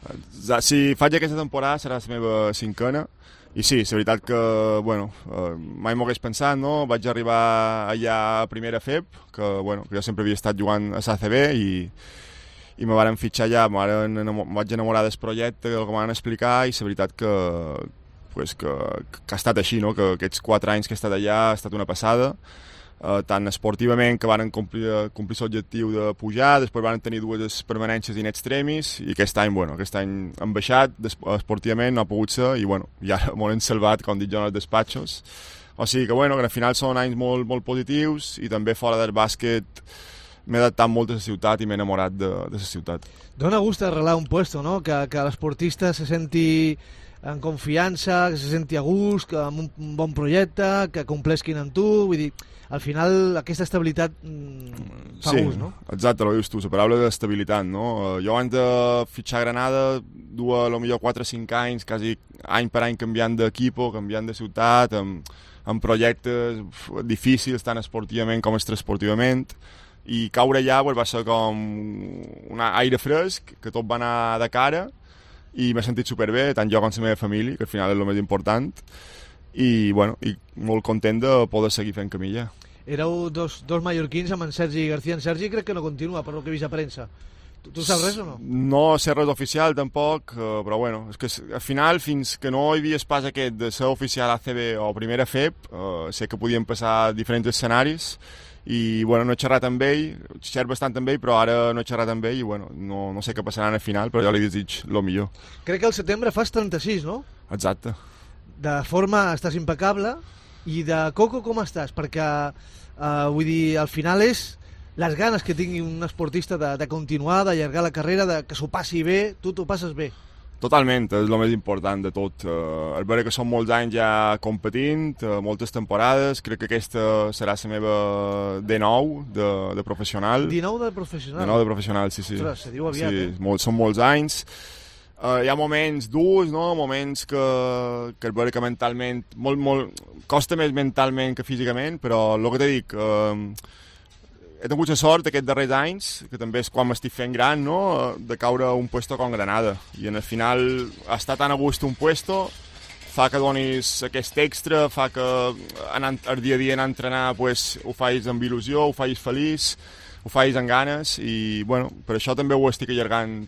Si faig aquesta temporada serà la meva cinquena. I sí, és veritat que, bueno, eh, mai m'ho hagués pensat, no? Vaig arribar allà a primera F E P, que, bueno, que jo sempre havia estat jugant a l'A C B i, i me varen fitxar allà, me vaig enamorar del projecte, del que m'han explicar, i és veritat que, pues, que, que ha estat així, no? Que aquests quatre anys que he estat allà ha estat una passada, Uh, tant esportivament que van complir, complir l'objectiu de pujar, després van tenir dues permanències in extremis i aquest any, bueno, aquest any han baixat esportivament, no ha pogut ser i bueno, ja m'ho han salvat, com dic jo, en els despatxos. O sigui que, bueno, que al final són anys molt, molt positius i també fora del bàsquet m'he adaptat molt a la ciutat i m'he enamorat de, de la ciutat. Dona gust arreglar un puesto, no? Que, que l'esportista se senti en confiança, que se senti a gust, que amb un bon projecte, que complesquin amb tu, vull dir, al final aquesta estabilitat mm, fa sí, gust, no? Exacte, ho dius tu, la paraula d'estabilitat, no? Jo abans de fitxar a Granada duia a lo millor quatre o cinc anys, quasi any per any canviant d'equipo, canviant de ciutat, amb, amb projectes difícils, tant esportivament com extraesportivament, i caure allà pues, va ser com un aire fresc, que tot va anar de cara, i m'he sentit superbé, tant jo com la meva família, que al final és el més important, i, bueno, i molt content de poder seguir fent camilla. Éreu dos, dos mallorquins amb en Sergi García. En Sergi crec que no continua, per lo que he vist a premsa. Tu, tu saps res o no? No sé res oficial, tampoc, eh, però bueno, és que al final, fins que no hi havia pas aquest de ser oficial A C B o primera F E P, eh, sé que podien passar diferents escenaris, i bueno, no he xerrat amb ell, xerro bastant amb ell, però ara no he xerrat amb ell i bueno, no, no sé què passarà al final, però jo li desig el millor. Crec que al setembre fas trenta-sis, no? Exacte. De forma estàs impecable, i de coco com estàs? Perquè, eh, vull dir, al final és les ganes que tingui un esportista de, de continuar, d'allargar la carrera, de que s'ho passi bé, tu t'ho passes bé. Totalment, és el més important de tot. Uh, és vera que són molts anys ja competint, uh, moltes temporades, crec que aquesta serà la meva dinou de, de professional. dinou de professional? dinou de professional, sí, sí. Ostres, se diu aviat, sí, eh? Molt, són molts anys. Uh, hi ha moments durs, no? Moments que, que és vera que mentalment, molt, molt, costa més mentalment que físicament, però el que t'he dit, uh, he tingut la sort aquests darrers anys, que també és quan m'estic fent gran, no?, de caure a un puesto com Granada. I en el final estar tan a gust un puesto fa que donis aquest extra, fa que anant, el dia a dia anar a entrenar pues, ho facis amb il·lusió, ho facis feliç, ho facis amb ganes i bueno, per això també ho estic allargant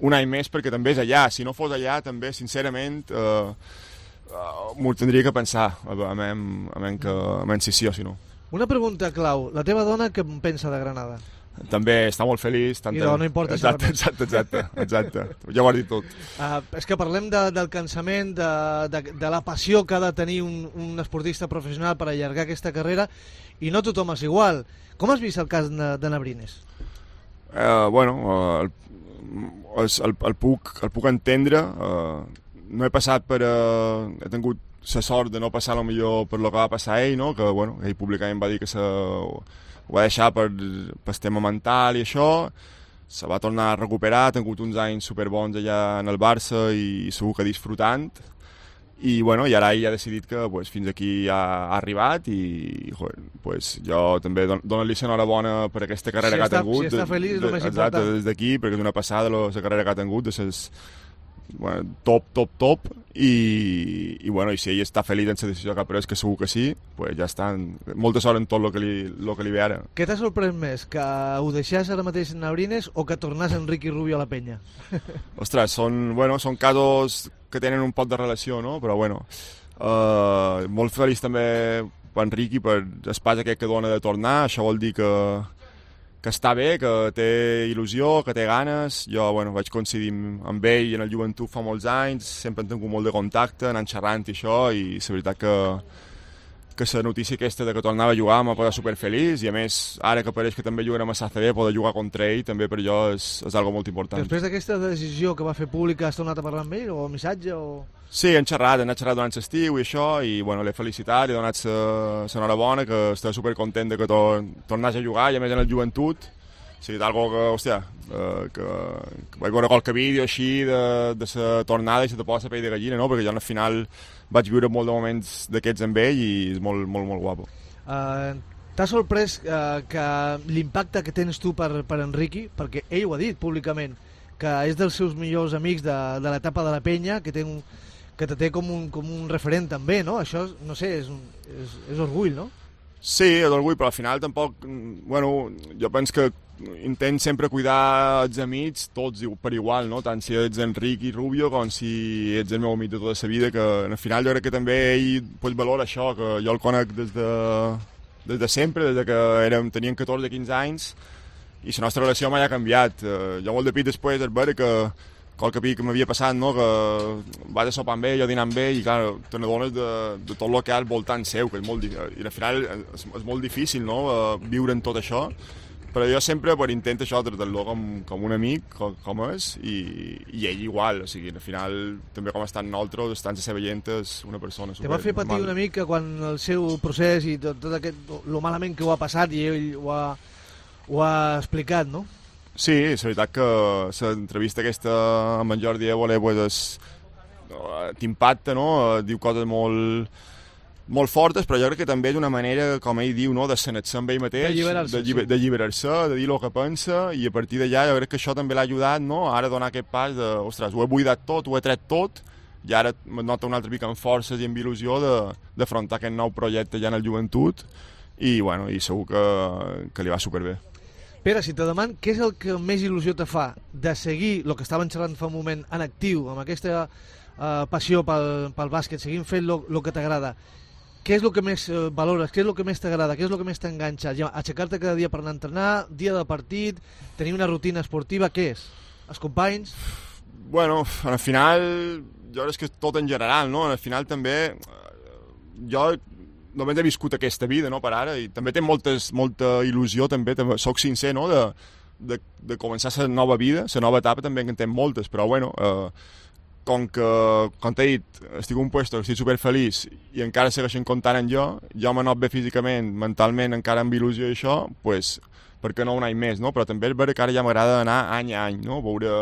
un any més perquè també és allà. Si no fos allà també, sincerament, eh, eh, m'ho tindria que pensar a veure que, si sí o si no. Una pregunta clau. La teva dona què en pensa de Granada? També està molt feliç. Tanta... I no, no importa exacte, exacte, exacte, exacte. Ja ho has dit tot. Uh, és que parlem de, del cansament, de, de, de la passió que ha de tenir un, un esportista professional per allargar aquesta carrera, i no tothom és igual. Com has vist el cas de, de Nabrines? Uh, bueno, uh, el, el, el, puc, el puc entendre. Uh, no he passat per... Uh, he tingut la sort de no passar lo millor per lo que va passar ell, no? Que bueno, ell públicament va dir que se, ho va deixar per, per tema mental i això, se va tornar a recuperar, ha tingut uns anys superbons allà en el Barça i segur que disfrutant, i bueno, i ara ell ha decidit que pues, fins aquí ha, ha arribat i joder, pues, jo també don, dono-li l'enhorabona per aquesta carrera si que està, ha tingut. Si està feliç, és el més exacte, important. Des d'aquí, perquè és una passada la carrera que ha tingut, de ses, bueno, top, top, top, i, i, bueno, i si ell està feliç en la decisió que ha pres, que segur que sí, pues ja està. Molta sort en tot el que li, lo que li ve ara. Què t'ha sorprès més? Que ho deixés ara mateix en Nabrines o que tornés Enrique Rubio a la penya? Ostres, són, bueno, són casos que tenen un poc de relació, no? Però bueno, uh, molt feliç també per Enrique per l'espai aquest que dona de tornar. Això vol dir que que està bé, que té il·lusió, que té ganes. Jo bueno, vaig coincidir amb ell en el joventut fa molts anys, sempre hem tingut molt de contacte, anant xerrant i això, i la veritat que que la notícia aquesta de que tornava a jugar m'ha posat superfeliç, i a més, ara que pareix que també jugarem a S A C B, poder jugar contra ell també per jo és, és algo molt important. Després d'aquesta decisió que va fer pública, has tornat a parlar amb ell, o missatge, o...? Sí, hem xerrat, hem xerrat durant l'estiu i això, i bueno, l'he felicitat, li he donat l'enhorabona, que estava supercontent de que tor tornés a jugar, i a més en el joventut. O sigui, d'algo que, hòstia, eh, que, que vaig veure qualque vídeo així de, de la tornada i se te posa la pell de gallina, no? Perquè jo al final vaig viure molt de moments d'aquests amb ell i és molt, molt, molt guapo. Uh, T'ha sorprès uh, que l'impacte que tens tu per, per Enrique, perquè ell ho ha dit públicament, que és dels seus millors amics de, de l'etapa de la penya, que té un, que te té com un, com un referent també, no? Això, no sé, és, un, és, és orgull, no? Sí, és orgull, però al final tampoc... Bueno, jo penso que intent sempre cuidar els amics tots per igual, no? Tant si ets Enrique Rubio com si ets el meu amic de tota la vida, que al final jo crec que també ell pues, valora això, que jo el conec des de, des de sempre, des de que érem, teníem catorze o quinze anys, i la nostra relació mai ha canviat. Uh, jo molt de pit després és veure que qualque pic que m'havia passat, no? Que vas a sopar amb ell, jo dinar amb ell, i clar, te n'adones de, de tot el que hi ha al voltant seu, que és molt, i al final és, és molt difícil, no? Uh, viure en tot això, però jo sempre pues, intento això, tractar-lo com, com un amic, com, com és, i, i ell igual, o sigui, al final, també com estan nosaltres, estan a seva gent, és una persona super normal. Te va fer patir una mica quan el seu procés i tot, tot aquest, lo malament que ho ha passat, i ell ho ha, ho ha explicat, no? Sí, és veritat que l'entrevista aquesta amb en Jordi Évole pues, t'impacta, no? Diu coses molt, molt fortes, però jo crec que també és una manera, com ell diu, no? De sanar-se amb ell mateix, d'alliberar-se, de, de lliberar-se, de dir el que pensa, i a partir d'allà jo crec que això també l'ha ajudat, no? Ara donar aquest pas de, ostres, ho he buidat tot, ho he tret tot, i ara em nota un altre pic amb forces i amb il·lusió d'afrontar aquest nou projecte ja en el joventut, i, bueno, i segur que, que li va superbé. Pere, si te deman, què és el que més il·lusió te fa de seguir el que estaven xerrant fa un moment en actiu, amb aquesta uh, passió pel, pel bàsquet, seguint fent el que t'agrada? Què és el que més uh, valores? Què és el que més t'agrada? Què és el que més t'enganxa? Aixecar-te cada dia per anar a entrenar, dia de partit, tenir una rutina esportiva, què és? Els companys? Bueno, al final, jo crec que és tot en general, no? Al final també, jo només he viscut aquesta vida, no, per ara, i també té moltes, molta il·lusió, també, també soc sincer, no, de, de, de començar la nova vida, la nova etapa també en té moltes, però bueno, eh, com que, com t'he dit, estic en un puesto que estic superfeliç i encara segueixen comptant en jo, jo m'he anat bé físicament, mentalment, encara amb il·lusió i això, pues, per què no un any més, no? Però també és vera que ara ja m'agrada anar any a any, no? Veure...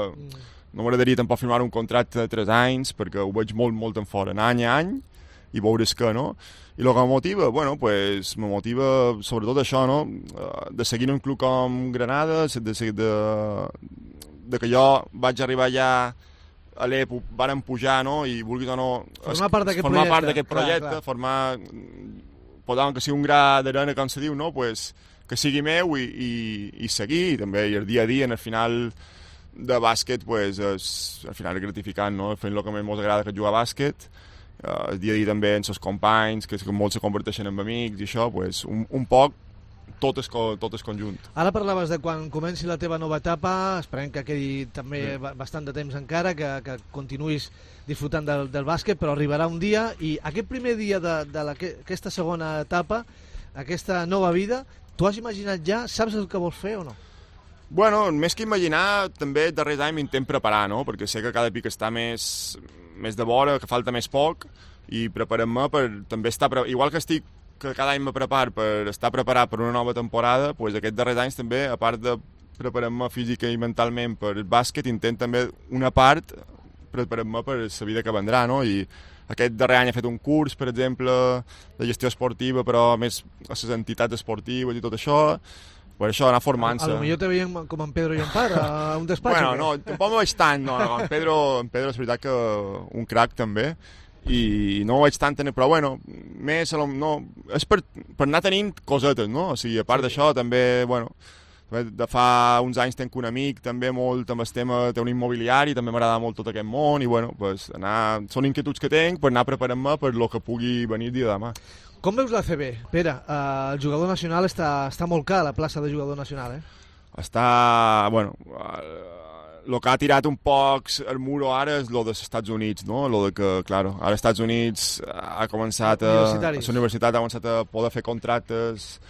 No m'agradaria tampoc firmar un contracte de tres anys, perquè ho veig molt, molt en fora, anar any a any i veure's que, no? I el que em motiva, bueno, pues, me motiva sobretot això, no? De seguir en un club com Granada, de, de, de, de que jo vaig arribar ja a l'E P, varen pujar, no? I vulguis o no... Formar part d'aquest formar projecte. Part d'aquest projecte, clar, clar. Formar... Podem que sigui un gra d'arena, com se diu, no? Pues, que sigui meu i, i, i seguir, i també, i el dia a dia, en el final de bàsquet, pues, és, al final és gratificant, no? Fent el que més m'agrada, que és jugar a bàsquet, uh, el dia a dia també amb els companys, que, que molts se converteixen en amics i això, pues, un, un poc tot és, tot és conjunt. Ara parlaves de quan comenci la teva nova etapa, esperem que quedi també sí. bastant de temps encara, que, que continuïs disfrutant del, del bàsquet, però arribarà un dia, i aquest primer dia de, de la, aquesta segona etapa, aquesta nova vida, tu has imaginat ja, saps el que vols fer o no? Bueno, més que imaginar, també darrers anys m'intent preparar, no? Perquè sé que cada pic està més, més de vora, que falta més poc, i preparem-me per també estar... Pre... Igual que estic, que cada any me preparo per estar preparat per una nova temporada, doncs aquests darrers anys també, a part de preparar-me física i mentalment per el bàsquet, intent també una part preparar-me per la vida que vendrà, no? I aquest darrer any he fet un curs, per exemple, de gestió esportiva, però més a les entitats esportives i tot això. Per això, anar formant-se. A lo millor te veiem com en Pedro i en Par, a un despatx. Bueno, no, tampoc no veig tant, no, no. En Pedro, en Pedro és veritat que un crac també, i no ho veig tant, però bueno, més, no, és per, per anar tenint cosetes, no? O sigui, a part sí. d'això, també, bueno, de fa uns anys tenc un amic també molt amb el tema, té un immobiliari, també m'agrada molt tot aquest món, i bueno, pues, anar, són inquietuds que tenc per anar preparant-me per lo que pugui venir dia de demà. Com veus l'A C B? Pere, eh, el jugador nacional està, està molt car, la plaça de jugador nacional, eh? Està, bueno, el que ha tirat un poc el muro ara és el dels Estats Units, no? Lo de que, claro, ara als Estats Units ha començat a... a la universitat ha començat a poder fer contractes,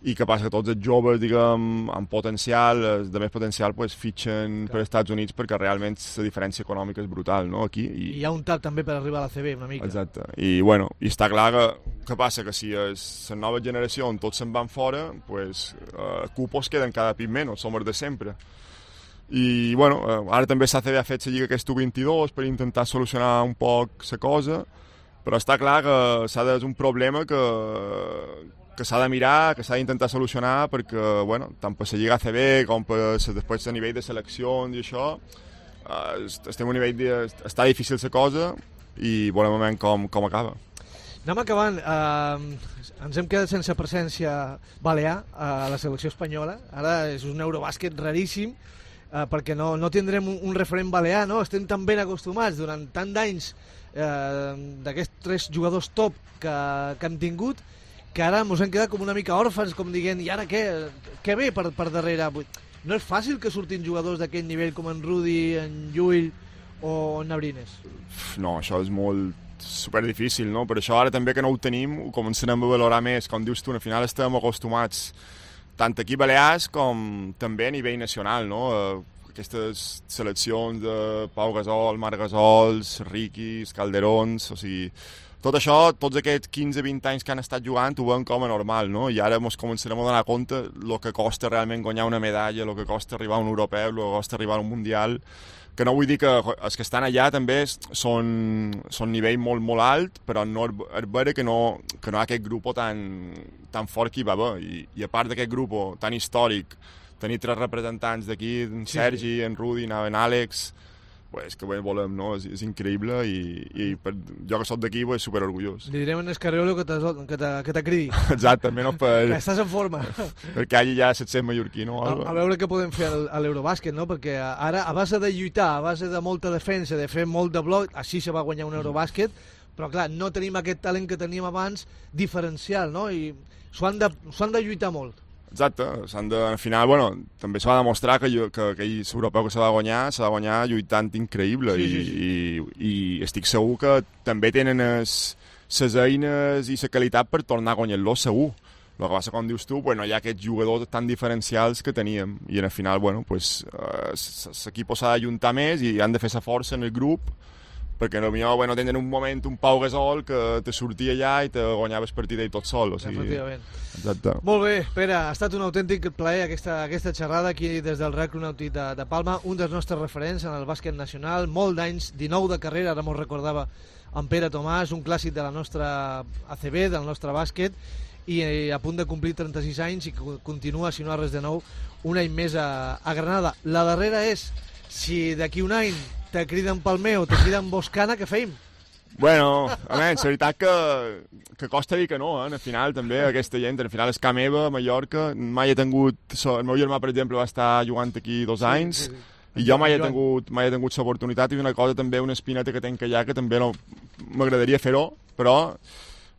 i que passa que tots els joves, diguem, amb potencial, els de més potencial, pues, fitxen per als Estats Units perquè realment la diferència econòmica és brutal, no?, aquí. I hi ha un tap també per arribar a l'A C B, una mica. Exacte. I, bueno, i està clar que, que passa que si és la nova generació on tots se'n van fora, pues, eh, cupos queden cada pit menys, som els de sempre. I, bueno, eh, ara també l'A C B ha fet la Lliga aquesta U vint-i-dos per intentar solucionar un poc la cosa, però està clar que s'ha de, és un problema que que s'ha de mirar, que s'ha d'intentar solucionar, perquè, bueno, tant per la Lliga A C B com per després a nivell de seleccions i això, eh, estem a un nivell de... està difícil la cosa i volem veure com, com acaba. Anem acabant. Eh, ens hem quedat sense presència balear a la selecció espanyola. Ara és un Eurobàsquet raríssim, eh, perquè no, no tindrem un, un referent balear, no? Estem tan ben acostumats durant tant d'anys eh, d'aquests tres jugadors top que, que hem tingut, que ara ens hem quedat com una mica òrfans, com dient, i ara què? Què ve per, per darrere? No és fàcil que surtin jugadors d'aquest nivell com en Rudi, en Llull o en Abrines? No, això és molt superdifícil, no? Per això ara també que no ho tenim, ho començarem a valorar més. Com dius tu, al final estem acostumats tant aquí a Balears com també a nivell nacional, no? Aquestes seleccions de Pau Gasol, Marc Gasols, Riquis, Calderons, o sigui... Tot això, tots aquests quinze vint anys que han estat jugant ho veuen com a normal, no? I ara ens començarem a donar compte el que costa realment guanyar una medalla, el que costa arribar a un europeu, el que costa arribar a un mundial, que no vull dir que els que estan allà també són, són nivell molt, molt alt, però no és vera que no, que no hi ha aquest grup tan, tan fort que hi va haver. I, i a part d'aquest grup tan històric, tenir tres representants d'aquí, en Sergi, en Rudi, en Àlex... Pues que bé volem, no? És, és increïble i, i per, jo que soc d'aquí és superorgullós. Li direm en Escarriolo que t'acridi. Exacte, almenys per... Que estàs en forma. Perquè allà ja set cent mallorquí, no? A, a veure què podem fer a l'Eurobàsquet, no? Perquè ara, a base de lluitar, a base de molta defensa, de fer molt de bloc, així se va guanyar un Eurobàsquet, però clar, no tenim aquest talent que teníem abans diferencial, no? I s'ho han, han de lluitar molt. Exacte, s'han de, al final, bueno, també s'ha de demostrar que, que aquell europeu que s'ha de guanyar, s'ha de guanyar lluitant increïble, sí, sí, sí. I, i, i estic segur que també tenen les eines i la qualitat per tornar a guanyar-lo segur. El que passa, com dius tu, bueno, hi ha aquests jugadors tan diferencials que teníem, i al final, bueno, pues, eh, l'equip s'ha d'ajuntar més i han de fer la força en el grup perquè potser bueno, tenen un moment un Pau Gasol que te sortia allà i te guanyaves partida i tot sol. O sigui, efectivament. Exacte. Molt bé, Pere, ha estat un autèntic plaer aquesta, aquesta xerrada aquí des del Real Club Nàutic de, de Palma, un dels nostres referents en el bàsquet nacional, molt d'anys, dinou de carrera, ara m'ho recordava en Pere Tomàs, un clàssic de la nostra A C B, del nostre bàsquet, i a punt de complir trenta-sis anys i continua, si no ha res de nou, un any més a, a Granada. La darrera és, si d'aquí un any te criden Palmeo, te criden Boscana, què feim? Bueno, a menys, la veritat que, que costa dir que no, eh? Al final també aquesta gent, al final és ca meva, Mallorca, mai he tingut, el meu germà per exemple va estar jugant aquí dos anys, sí, sí, sí. I jo mai he tingut, mai he tingut l'oportunitat, i una cosa també, una espineta que tenc allà, que també no, m'agradaria fer-ho, però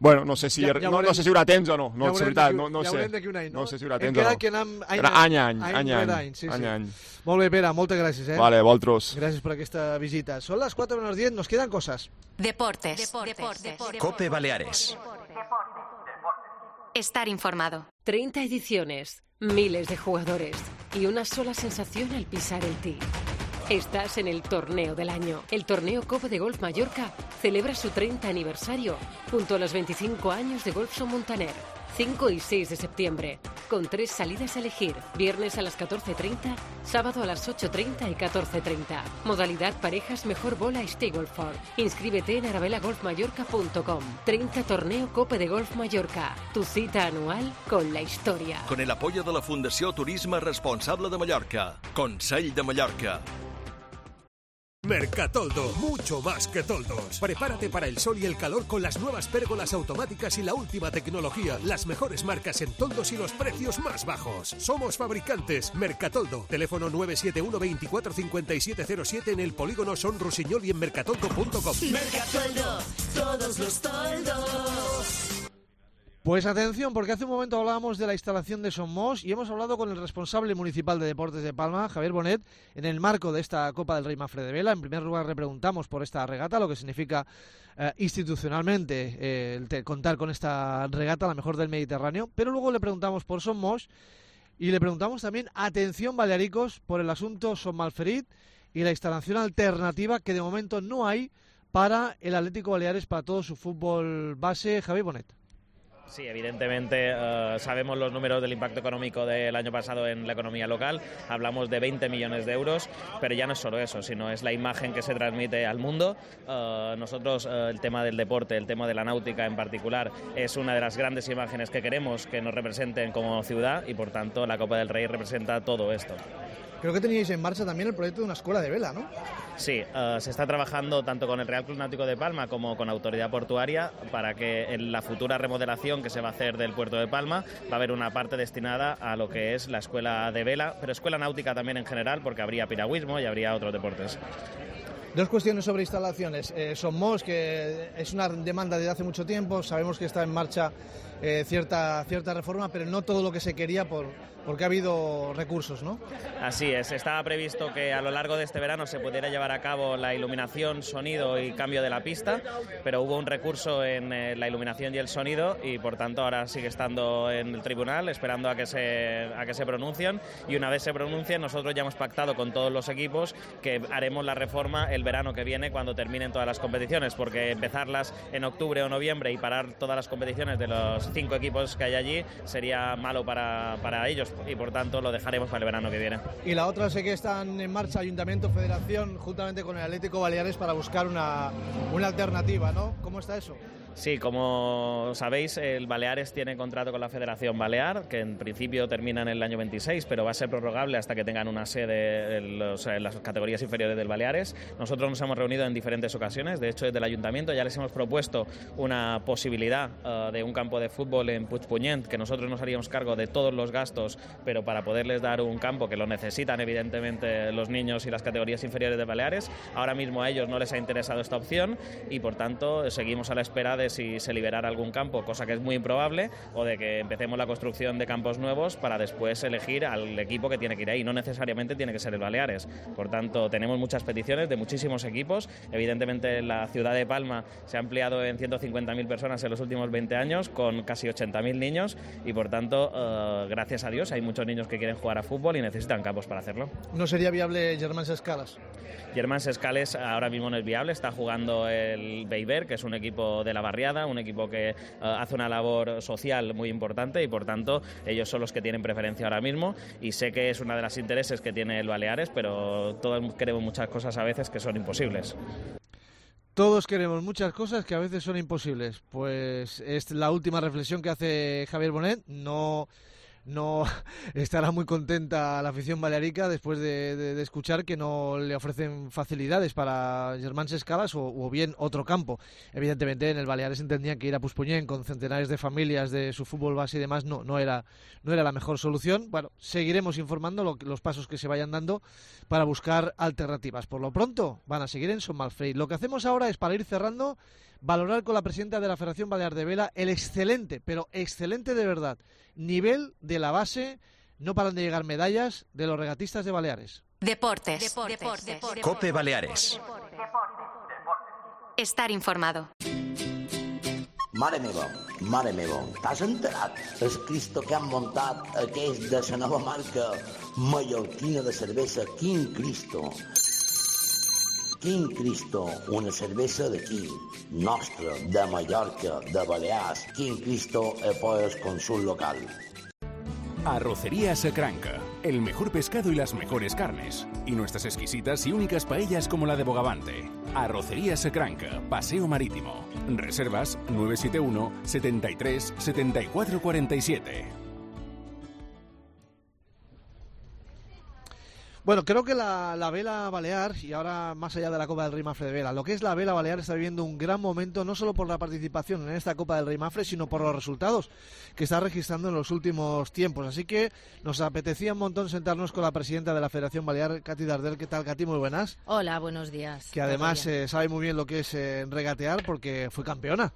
bueno, no sé si, ja, ja no, no sé si hi haurà temps o no, no, ja veritat, no, no ja sé. Any, no? No sé si hi haurà temps o no. Que anem any, any, any, any, any, any, sí, any, sí. any. Molt bé, Pere, moltes gràcies, eh? Vale, vosaltres. Gràcies per aquesta visita. Són les quatre menos diez, nos quedan cosas. Deportes. Deportes. Deportes. Cope Baleares. Estar informado. treinta ediciones, miles de jugadores y una sola sensación al pisar el tee. Estás en el torneo del año. El torneo Cope de Golf Mallorca celebra su treinta aniversario junto a los veinticinco años de Golfson Montaner. cinco y seis de septiembre, con tres salidas a elegir. Viernes a las catorce treinta, sábado a las ocho treinta y catorce treinta. Modalidad parejas mejor bola Stableford. Inscríbete en arabela golf mallorca punto com. treinta Torneo Cope de Golf Mallorca. Tu cita anual con la historia. Con el apoyo de la Fundació Turisme Responsable de Mallorca. Consell de Mallorca. Mercatoldo, mucho más que toldos. Prepárate para el sol y el calor con las nuevas pérgolas automáticas y la última tecnología, las mejores marcas en toldos y los precios más bajos. Somos fabricantes Mercatoldo. Teléfono nueve siete uno veinticuatro cincuenta y siete cero siete en el polígono Son Rusiñol y en mercatoldo punto com. Mercatoldo, todos los toldos. Pues atención, porque hace un momento hablábamos de la instalación de Somos y hemos hablado con el responsable municipal de Deportes de Palma, Javier Bonet, en el marco de esta Copa del Rey Mafre de Vela. En primer lugar le preguntamos por esta regata, lo que significa eh, institucionalmente eh, el te, contar con esta regata, la mejor del Mediterráneo, pero luego le preguntamos por Somos y le preguntamos también, atención balearicos, por el asunto Son Malferit y la instalación alternativa que de momento no hay para el Atlético Baleares, para todo su fútbol base. Javier Bonet. Sí, evidentemente eh, sabemos los números del impacto económico del año pasado en la economía local, hablamos de veinte millones de euros, pero ya no es solo eso, sino es la imagen que se transmite al mundo. Eh, nosotros eh, el tema del deporte, el tema de la náutica en particular, es una de las grandes imágenes que queremos que nos representen como ciudad y por tanto la Copa del Rey representa todo esto. Creo que teníais en marcha también el proyecto de una escuela de vela, ¿no? Sí, uh, se está trabajando tanto con el Real Club Náutico de Palma como con Autoridad Portuaria para que en la futura remodelación que se va a hacer del puerto de Palma va a haber una parte destinada a lo que es la escuela de vela, pero escuela náutica también en general porque habría piragüismo y habría otros deportes. Dos cuestiones sobre instalaciones. Eh, Somos, que es una demanda desde hace mucho tiempo, sabemos que está en marcha eh, cierta, cierta reforma, pero no todo lo que se quería por, porque ha habido recursos, ¿no? Así es, estaba previsto que a lo largo de este verano se pudiera llevar a cabo la iluminación, sonido y cambio de la pista, pero hubo un recurso en eh, la iluminación y el sonido y por tanto ahora sigue estando en el tribunal esperando a que se, a que se pronuncien y una vez se pronuncien nosotros ya hemos pactado con todos los equipos que haremos la reforma el verano que viene cuando terminen todas las competiciones, porque empezarlas en octubre o noviembre y parar todas las competiciones de los cinco equipos que hay allí sería malo para, para ellos y por tanto lo dejaremos para el verano que viene. Y la otra, sé que están en marcha Ayuntamiento, Federación, juntamente con el Atlético Baleares para buscar una, una alternativa, ¿no? ¿Cómo está eso? Sí, como sabéis, el Baleares tiene contrato con la Federación Balear, que en principio termina en el año veintiséis, pero va a ser prorrogable hasta que tengan una sede en, los, en las categorías inferiores del Baleares. Nosotros nos hemos reunido en diferentes ocasiones, de hecho desde el Ayuntamiento ya les hemos propuesto una posibilidad uh, de un campo de fútbol en Puigpunyent, que nosotros nos haríamos cargo de todos los gastos, pero para poderles dar un campo que lo necesitan evidentemente los niños y las categorías inferiores de Baleares. Ahora mismo a ellos no les ha interesado esta opción y por tanto seguimos a la espera de si se liberara algún campo, cosa que es muy improbable, o de que empecemos la construcción de campos nuevos para después elegir al equipo que tiene que ir ahí. No necesariamente tiene que ser el Baleares. Por tanto, tenemos muchas peticiones de muchísimos equipos. Evidentemente, la ciudad de Palma se ha ampliado en ciento cincuenta mil personas en los últimos veinte años, con casi ochenta mil niños, y por tanto, uh, gracias a Dios, hay muchos niños que quieren jugar a fútbol y necesitan campos para hacerlo. ¿No sería viable Germán Sescalas? Germán Sescales ahora mismo no es viable, está jugando el Beiber, que es un equipo de la barriada, un equipo que uh, hace una labor social muy importante y por tanto ellos son los que tienen preferencia ahora mismo y sé que es una de las intereses que tiene el Baleares, pero todos queremos muchas cosas a veces que son imposibles. Todos queremos muchas cosas que a veces son imposibles. Pues es la última reflexión que hace Javier Bonet. No... No estará muy contenta la afición balearica después de, de, de escuchar que no le ofrecen facilidades para Germán Sescalas o, o bien otro campo. Evidentemente en el Baleares entendían que ir a Puigpunyent con centenares de familias de su fútbol base y demás no, no, era, no era la mejor solución. Bueno, seguiremos informando lo, los pasos que se vayan dando para buscar alternativas. Por lo pronto van a seguir en Son Malfrey. Lo que hacemos ahora es, para ir cerrando, valorar con la presidenta de la Federación Balear de Vela el excelente, pero excelente de verdad, nivel de la base. No paran de llegar medallas de los regatistas de Baleares. Deportes. Deportes. Deportes. Deportes. Cope Baleares. Estar informado. Mare meva, mare meva, t'has enterat? El Cristo que han muntat aquells de la nova marca mallorquina de cervesa Quin Cristo. Quin Cristo, una cervesa d'aquí, nostra, de Mallorca, de Balears. Quin Cristo es pues consul local. Arrocería Secranca, el mejor pescado y las mejores carnes. Y nuestras exquisitas y únicas paellas como la de Bogavante. Arrocería Secranca, Paseo Marítimo. Reservas nueve siete uno, setenta y tres, setenta y cuatro cuarenta y siete. Bueno, creo que la, la vela balear, y ahora más allá de la Copa del Rey Mafre de Vela, lo que es la vela balear está viviendo un gran momento, no solo por la participación en esta Copa del Rey Mafre, sino por los resultados que está registrando en los últimos tiempos. Así que nos apetecía un montón sentarnos con la presidenta de la Federación Balear, Katy Dardel. ¿Qué tal, Katy? Muy buenas. Hola, buenos días. Que además eh, sabe muy bien lo que es eh, regatear porque fue campeona.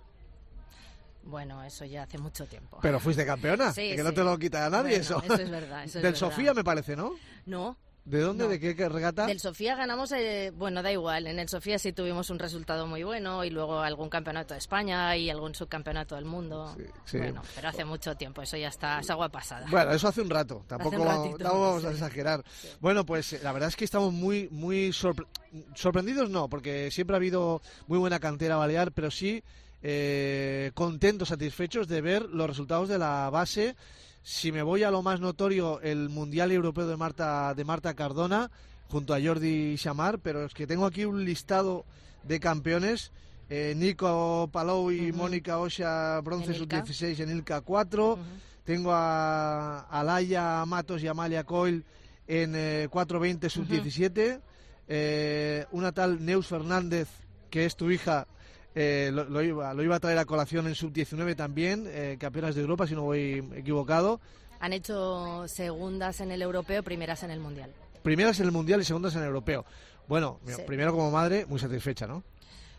Bueno, eso ya hace mucho tiempo. Pero fuiste campeona, sí, que sí. no te lo quita a nadie. Bueno, eso. Eso es verdad. Eso es Del verdad. Sofía, me parece, ¿no? No. ¿De dónde? No. ¿De qué, qué regata? Del Sofía ganamos, eh, bueno, da igual, en el Sofía sí tuvimos un resultado muy bueno y luego algún campeonato de España y algún subcampeonato del mundo. Sí, sí. Bueno, pero hace mucho tiempo, eso ya está, es agua pasada. Bueno, eso hace un rato, tampoco un vamos, ratito, tampoco vamos sí. a exagerar. Sí. Bueno, pues eh, la verdad es que estamos muy muy sorpre sorprendidos, no, porque siempre ha habido muy buena cantera balear, pero sí eh, contentos, satisfechos de ver los resultados de la base. Si me voy a lo más notorio, el Mundial Europeo de Marta, de Marta Cardona, junto a Jordi Xamar, pero es que tengo aquí un listado de campeones. Eh, Nico Palou y uh -huh. Mónica Osha, bronce sub dieciséis en Ilca cuatro. Uh -huh. Tengo a Alaya Matos y Amalia Coil en eh, cuatro veinte sub diecisiete. Uh -huh. eh, una tal Neus Fernández, que es tu hija, eh, lo, lo, iba, lo iba a traer a colación en sub diecinueve también, eh, campeonas de Europa, si no voy equivocado. Han hecho segundas en el europeo, primeras en el mundial. Primeras en el mundial y segundas en el europeo. Bueno, Sí. primero como madre, muy satisfecha, ¿no?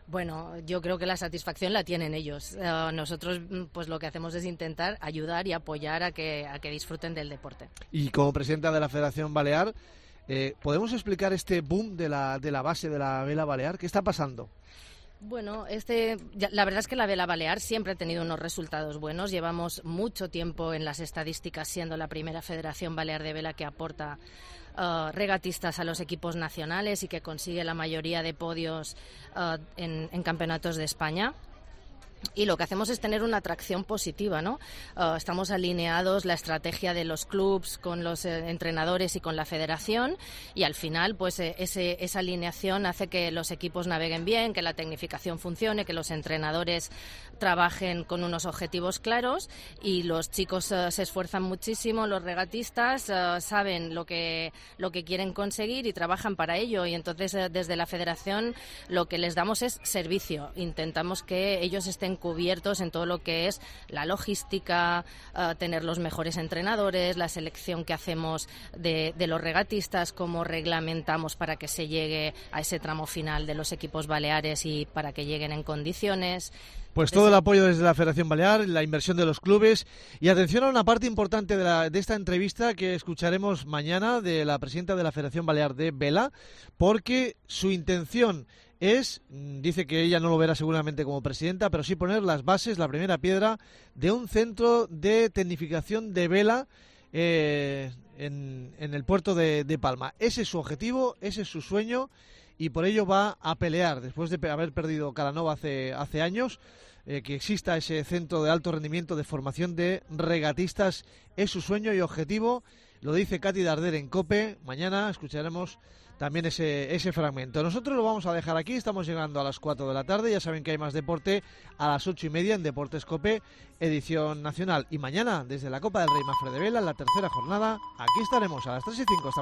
Bueno, yo creo que la satisfacción la tienen ellos. Uh, nosotros, pues lo que hacemos es intentar ayudar y apoyar a que, a que disfruten del deporte. Y como presidenta de la Federación Balear, eh, ¿podemos explicar este boom de la, de la base de la vela balear? ¿Qué está pasando? Bueno, este, ya, la verdad es que la vela balear siempre ha tenido unos resultados buenos. Llevamos mucho tiempo en las estadísticas siendo la primera federación balear de vela que aporta uh, regatistas a los equipos nacionales y que consigue la mayoría de podios uh, en, en campeonatos de España. Y lo que hacemos es tener una atracción positiva, ¿no? Uh, estamos alineados la estrategia de los clubs con los eh, entrenadores y con la federación y al final pues eh, ese, esa alineación hace que los equipos naveguen bien, que la tecnificación funcione, que los entrenadores trabajen con unos objetivos claros y los chicos uh, se esfuerzan muchísimo, los regatistas uh, saben lo que, lo que quieren conseguir y trabajan para ello y entonces uh, desde la federación lo que les damos es servicio, intentamos que ellos estén cubiertos en todo lo que es la logística, uh, tener los mejores entrenadores, la selección que hacemos de, de los regatistas, cómo reglamentamos para que se llegue a ese tramo final de los equipos baleares y para que lleguen en condiciones. Pues todo el apoyo desde la Federación Balear, la inversión de los clubes y atención a una parte importante de, la, de esta entrevista que escucharemos mañana de la presidenta de la Federación Balear de Vela, porque su intención es, dice que ella no lo verá seguramente como presidenta, pero sí poner las bases, la primera piedra de un centro de tecnificación de vela eh, en, en el puerto de, de Palma. Ese es su objetivo, ese es su sueño, y por ello va a pelear, después de haber perdido Calanova hace, hace años, eh, que exista ese centro de alto rendimiento de formación de regatistas, es su sueño y objetivo. Lo dice Katy Darder en COPE. Mañana escucharemos también ese, ese fragmento. Nosotros lo vamos a dejar aquí, estamos llegando a las cuatro de la tarde, ya saben que hay más deporte a las ocho y media en Deportes COPE, edición nacional. Y mañana, desde la Copa del Rey Mafre de Vela, en la tercera jornada, aquí estaremos a las tres y cinco.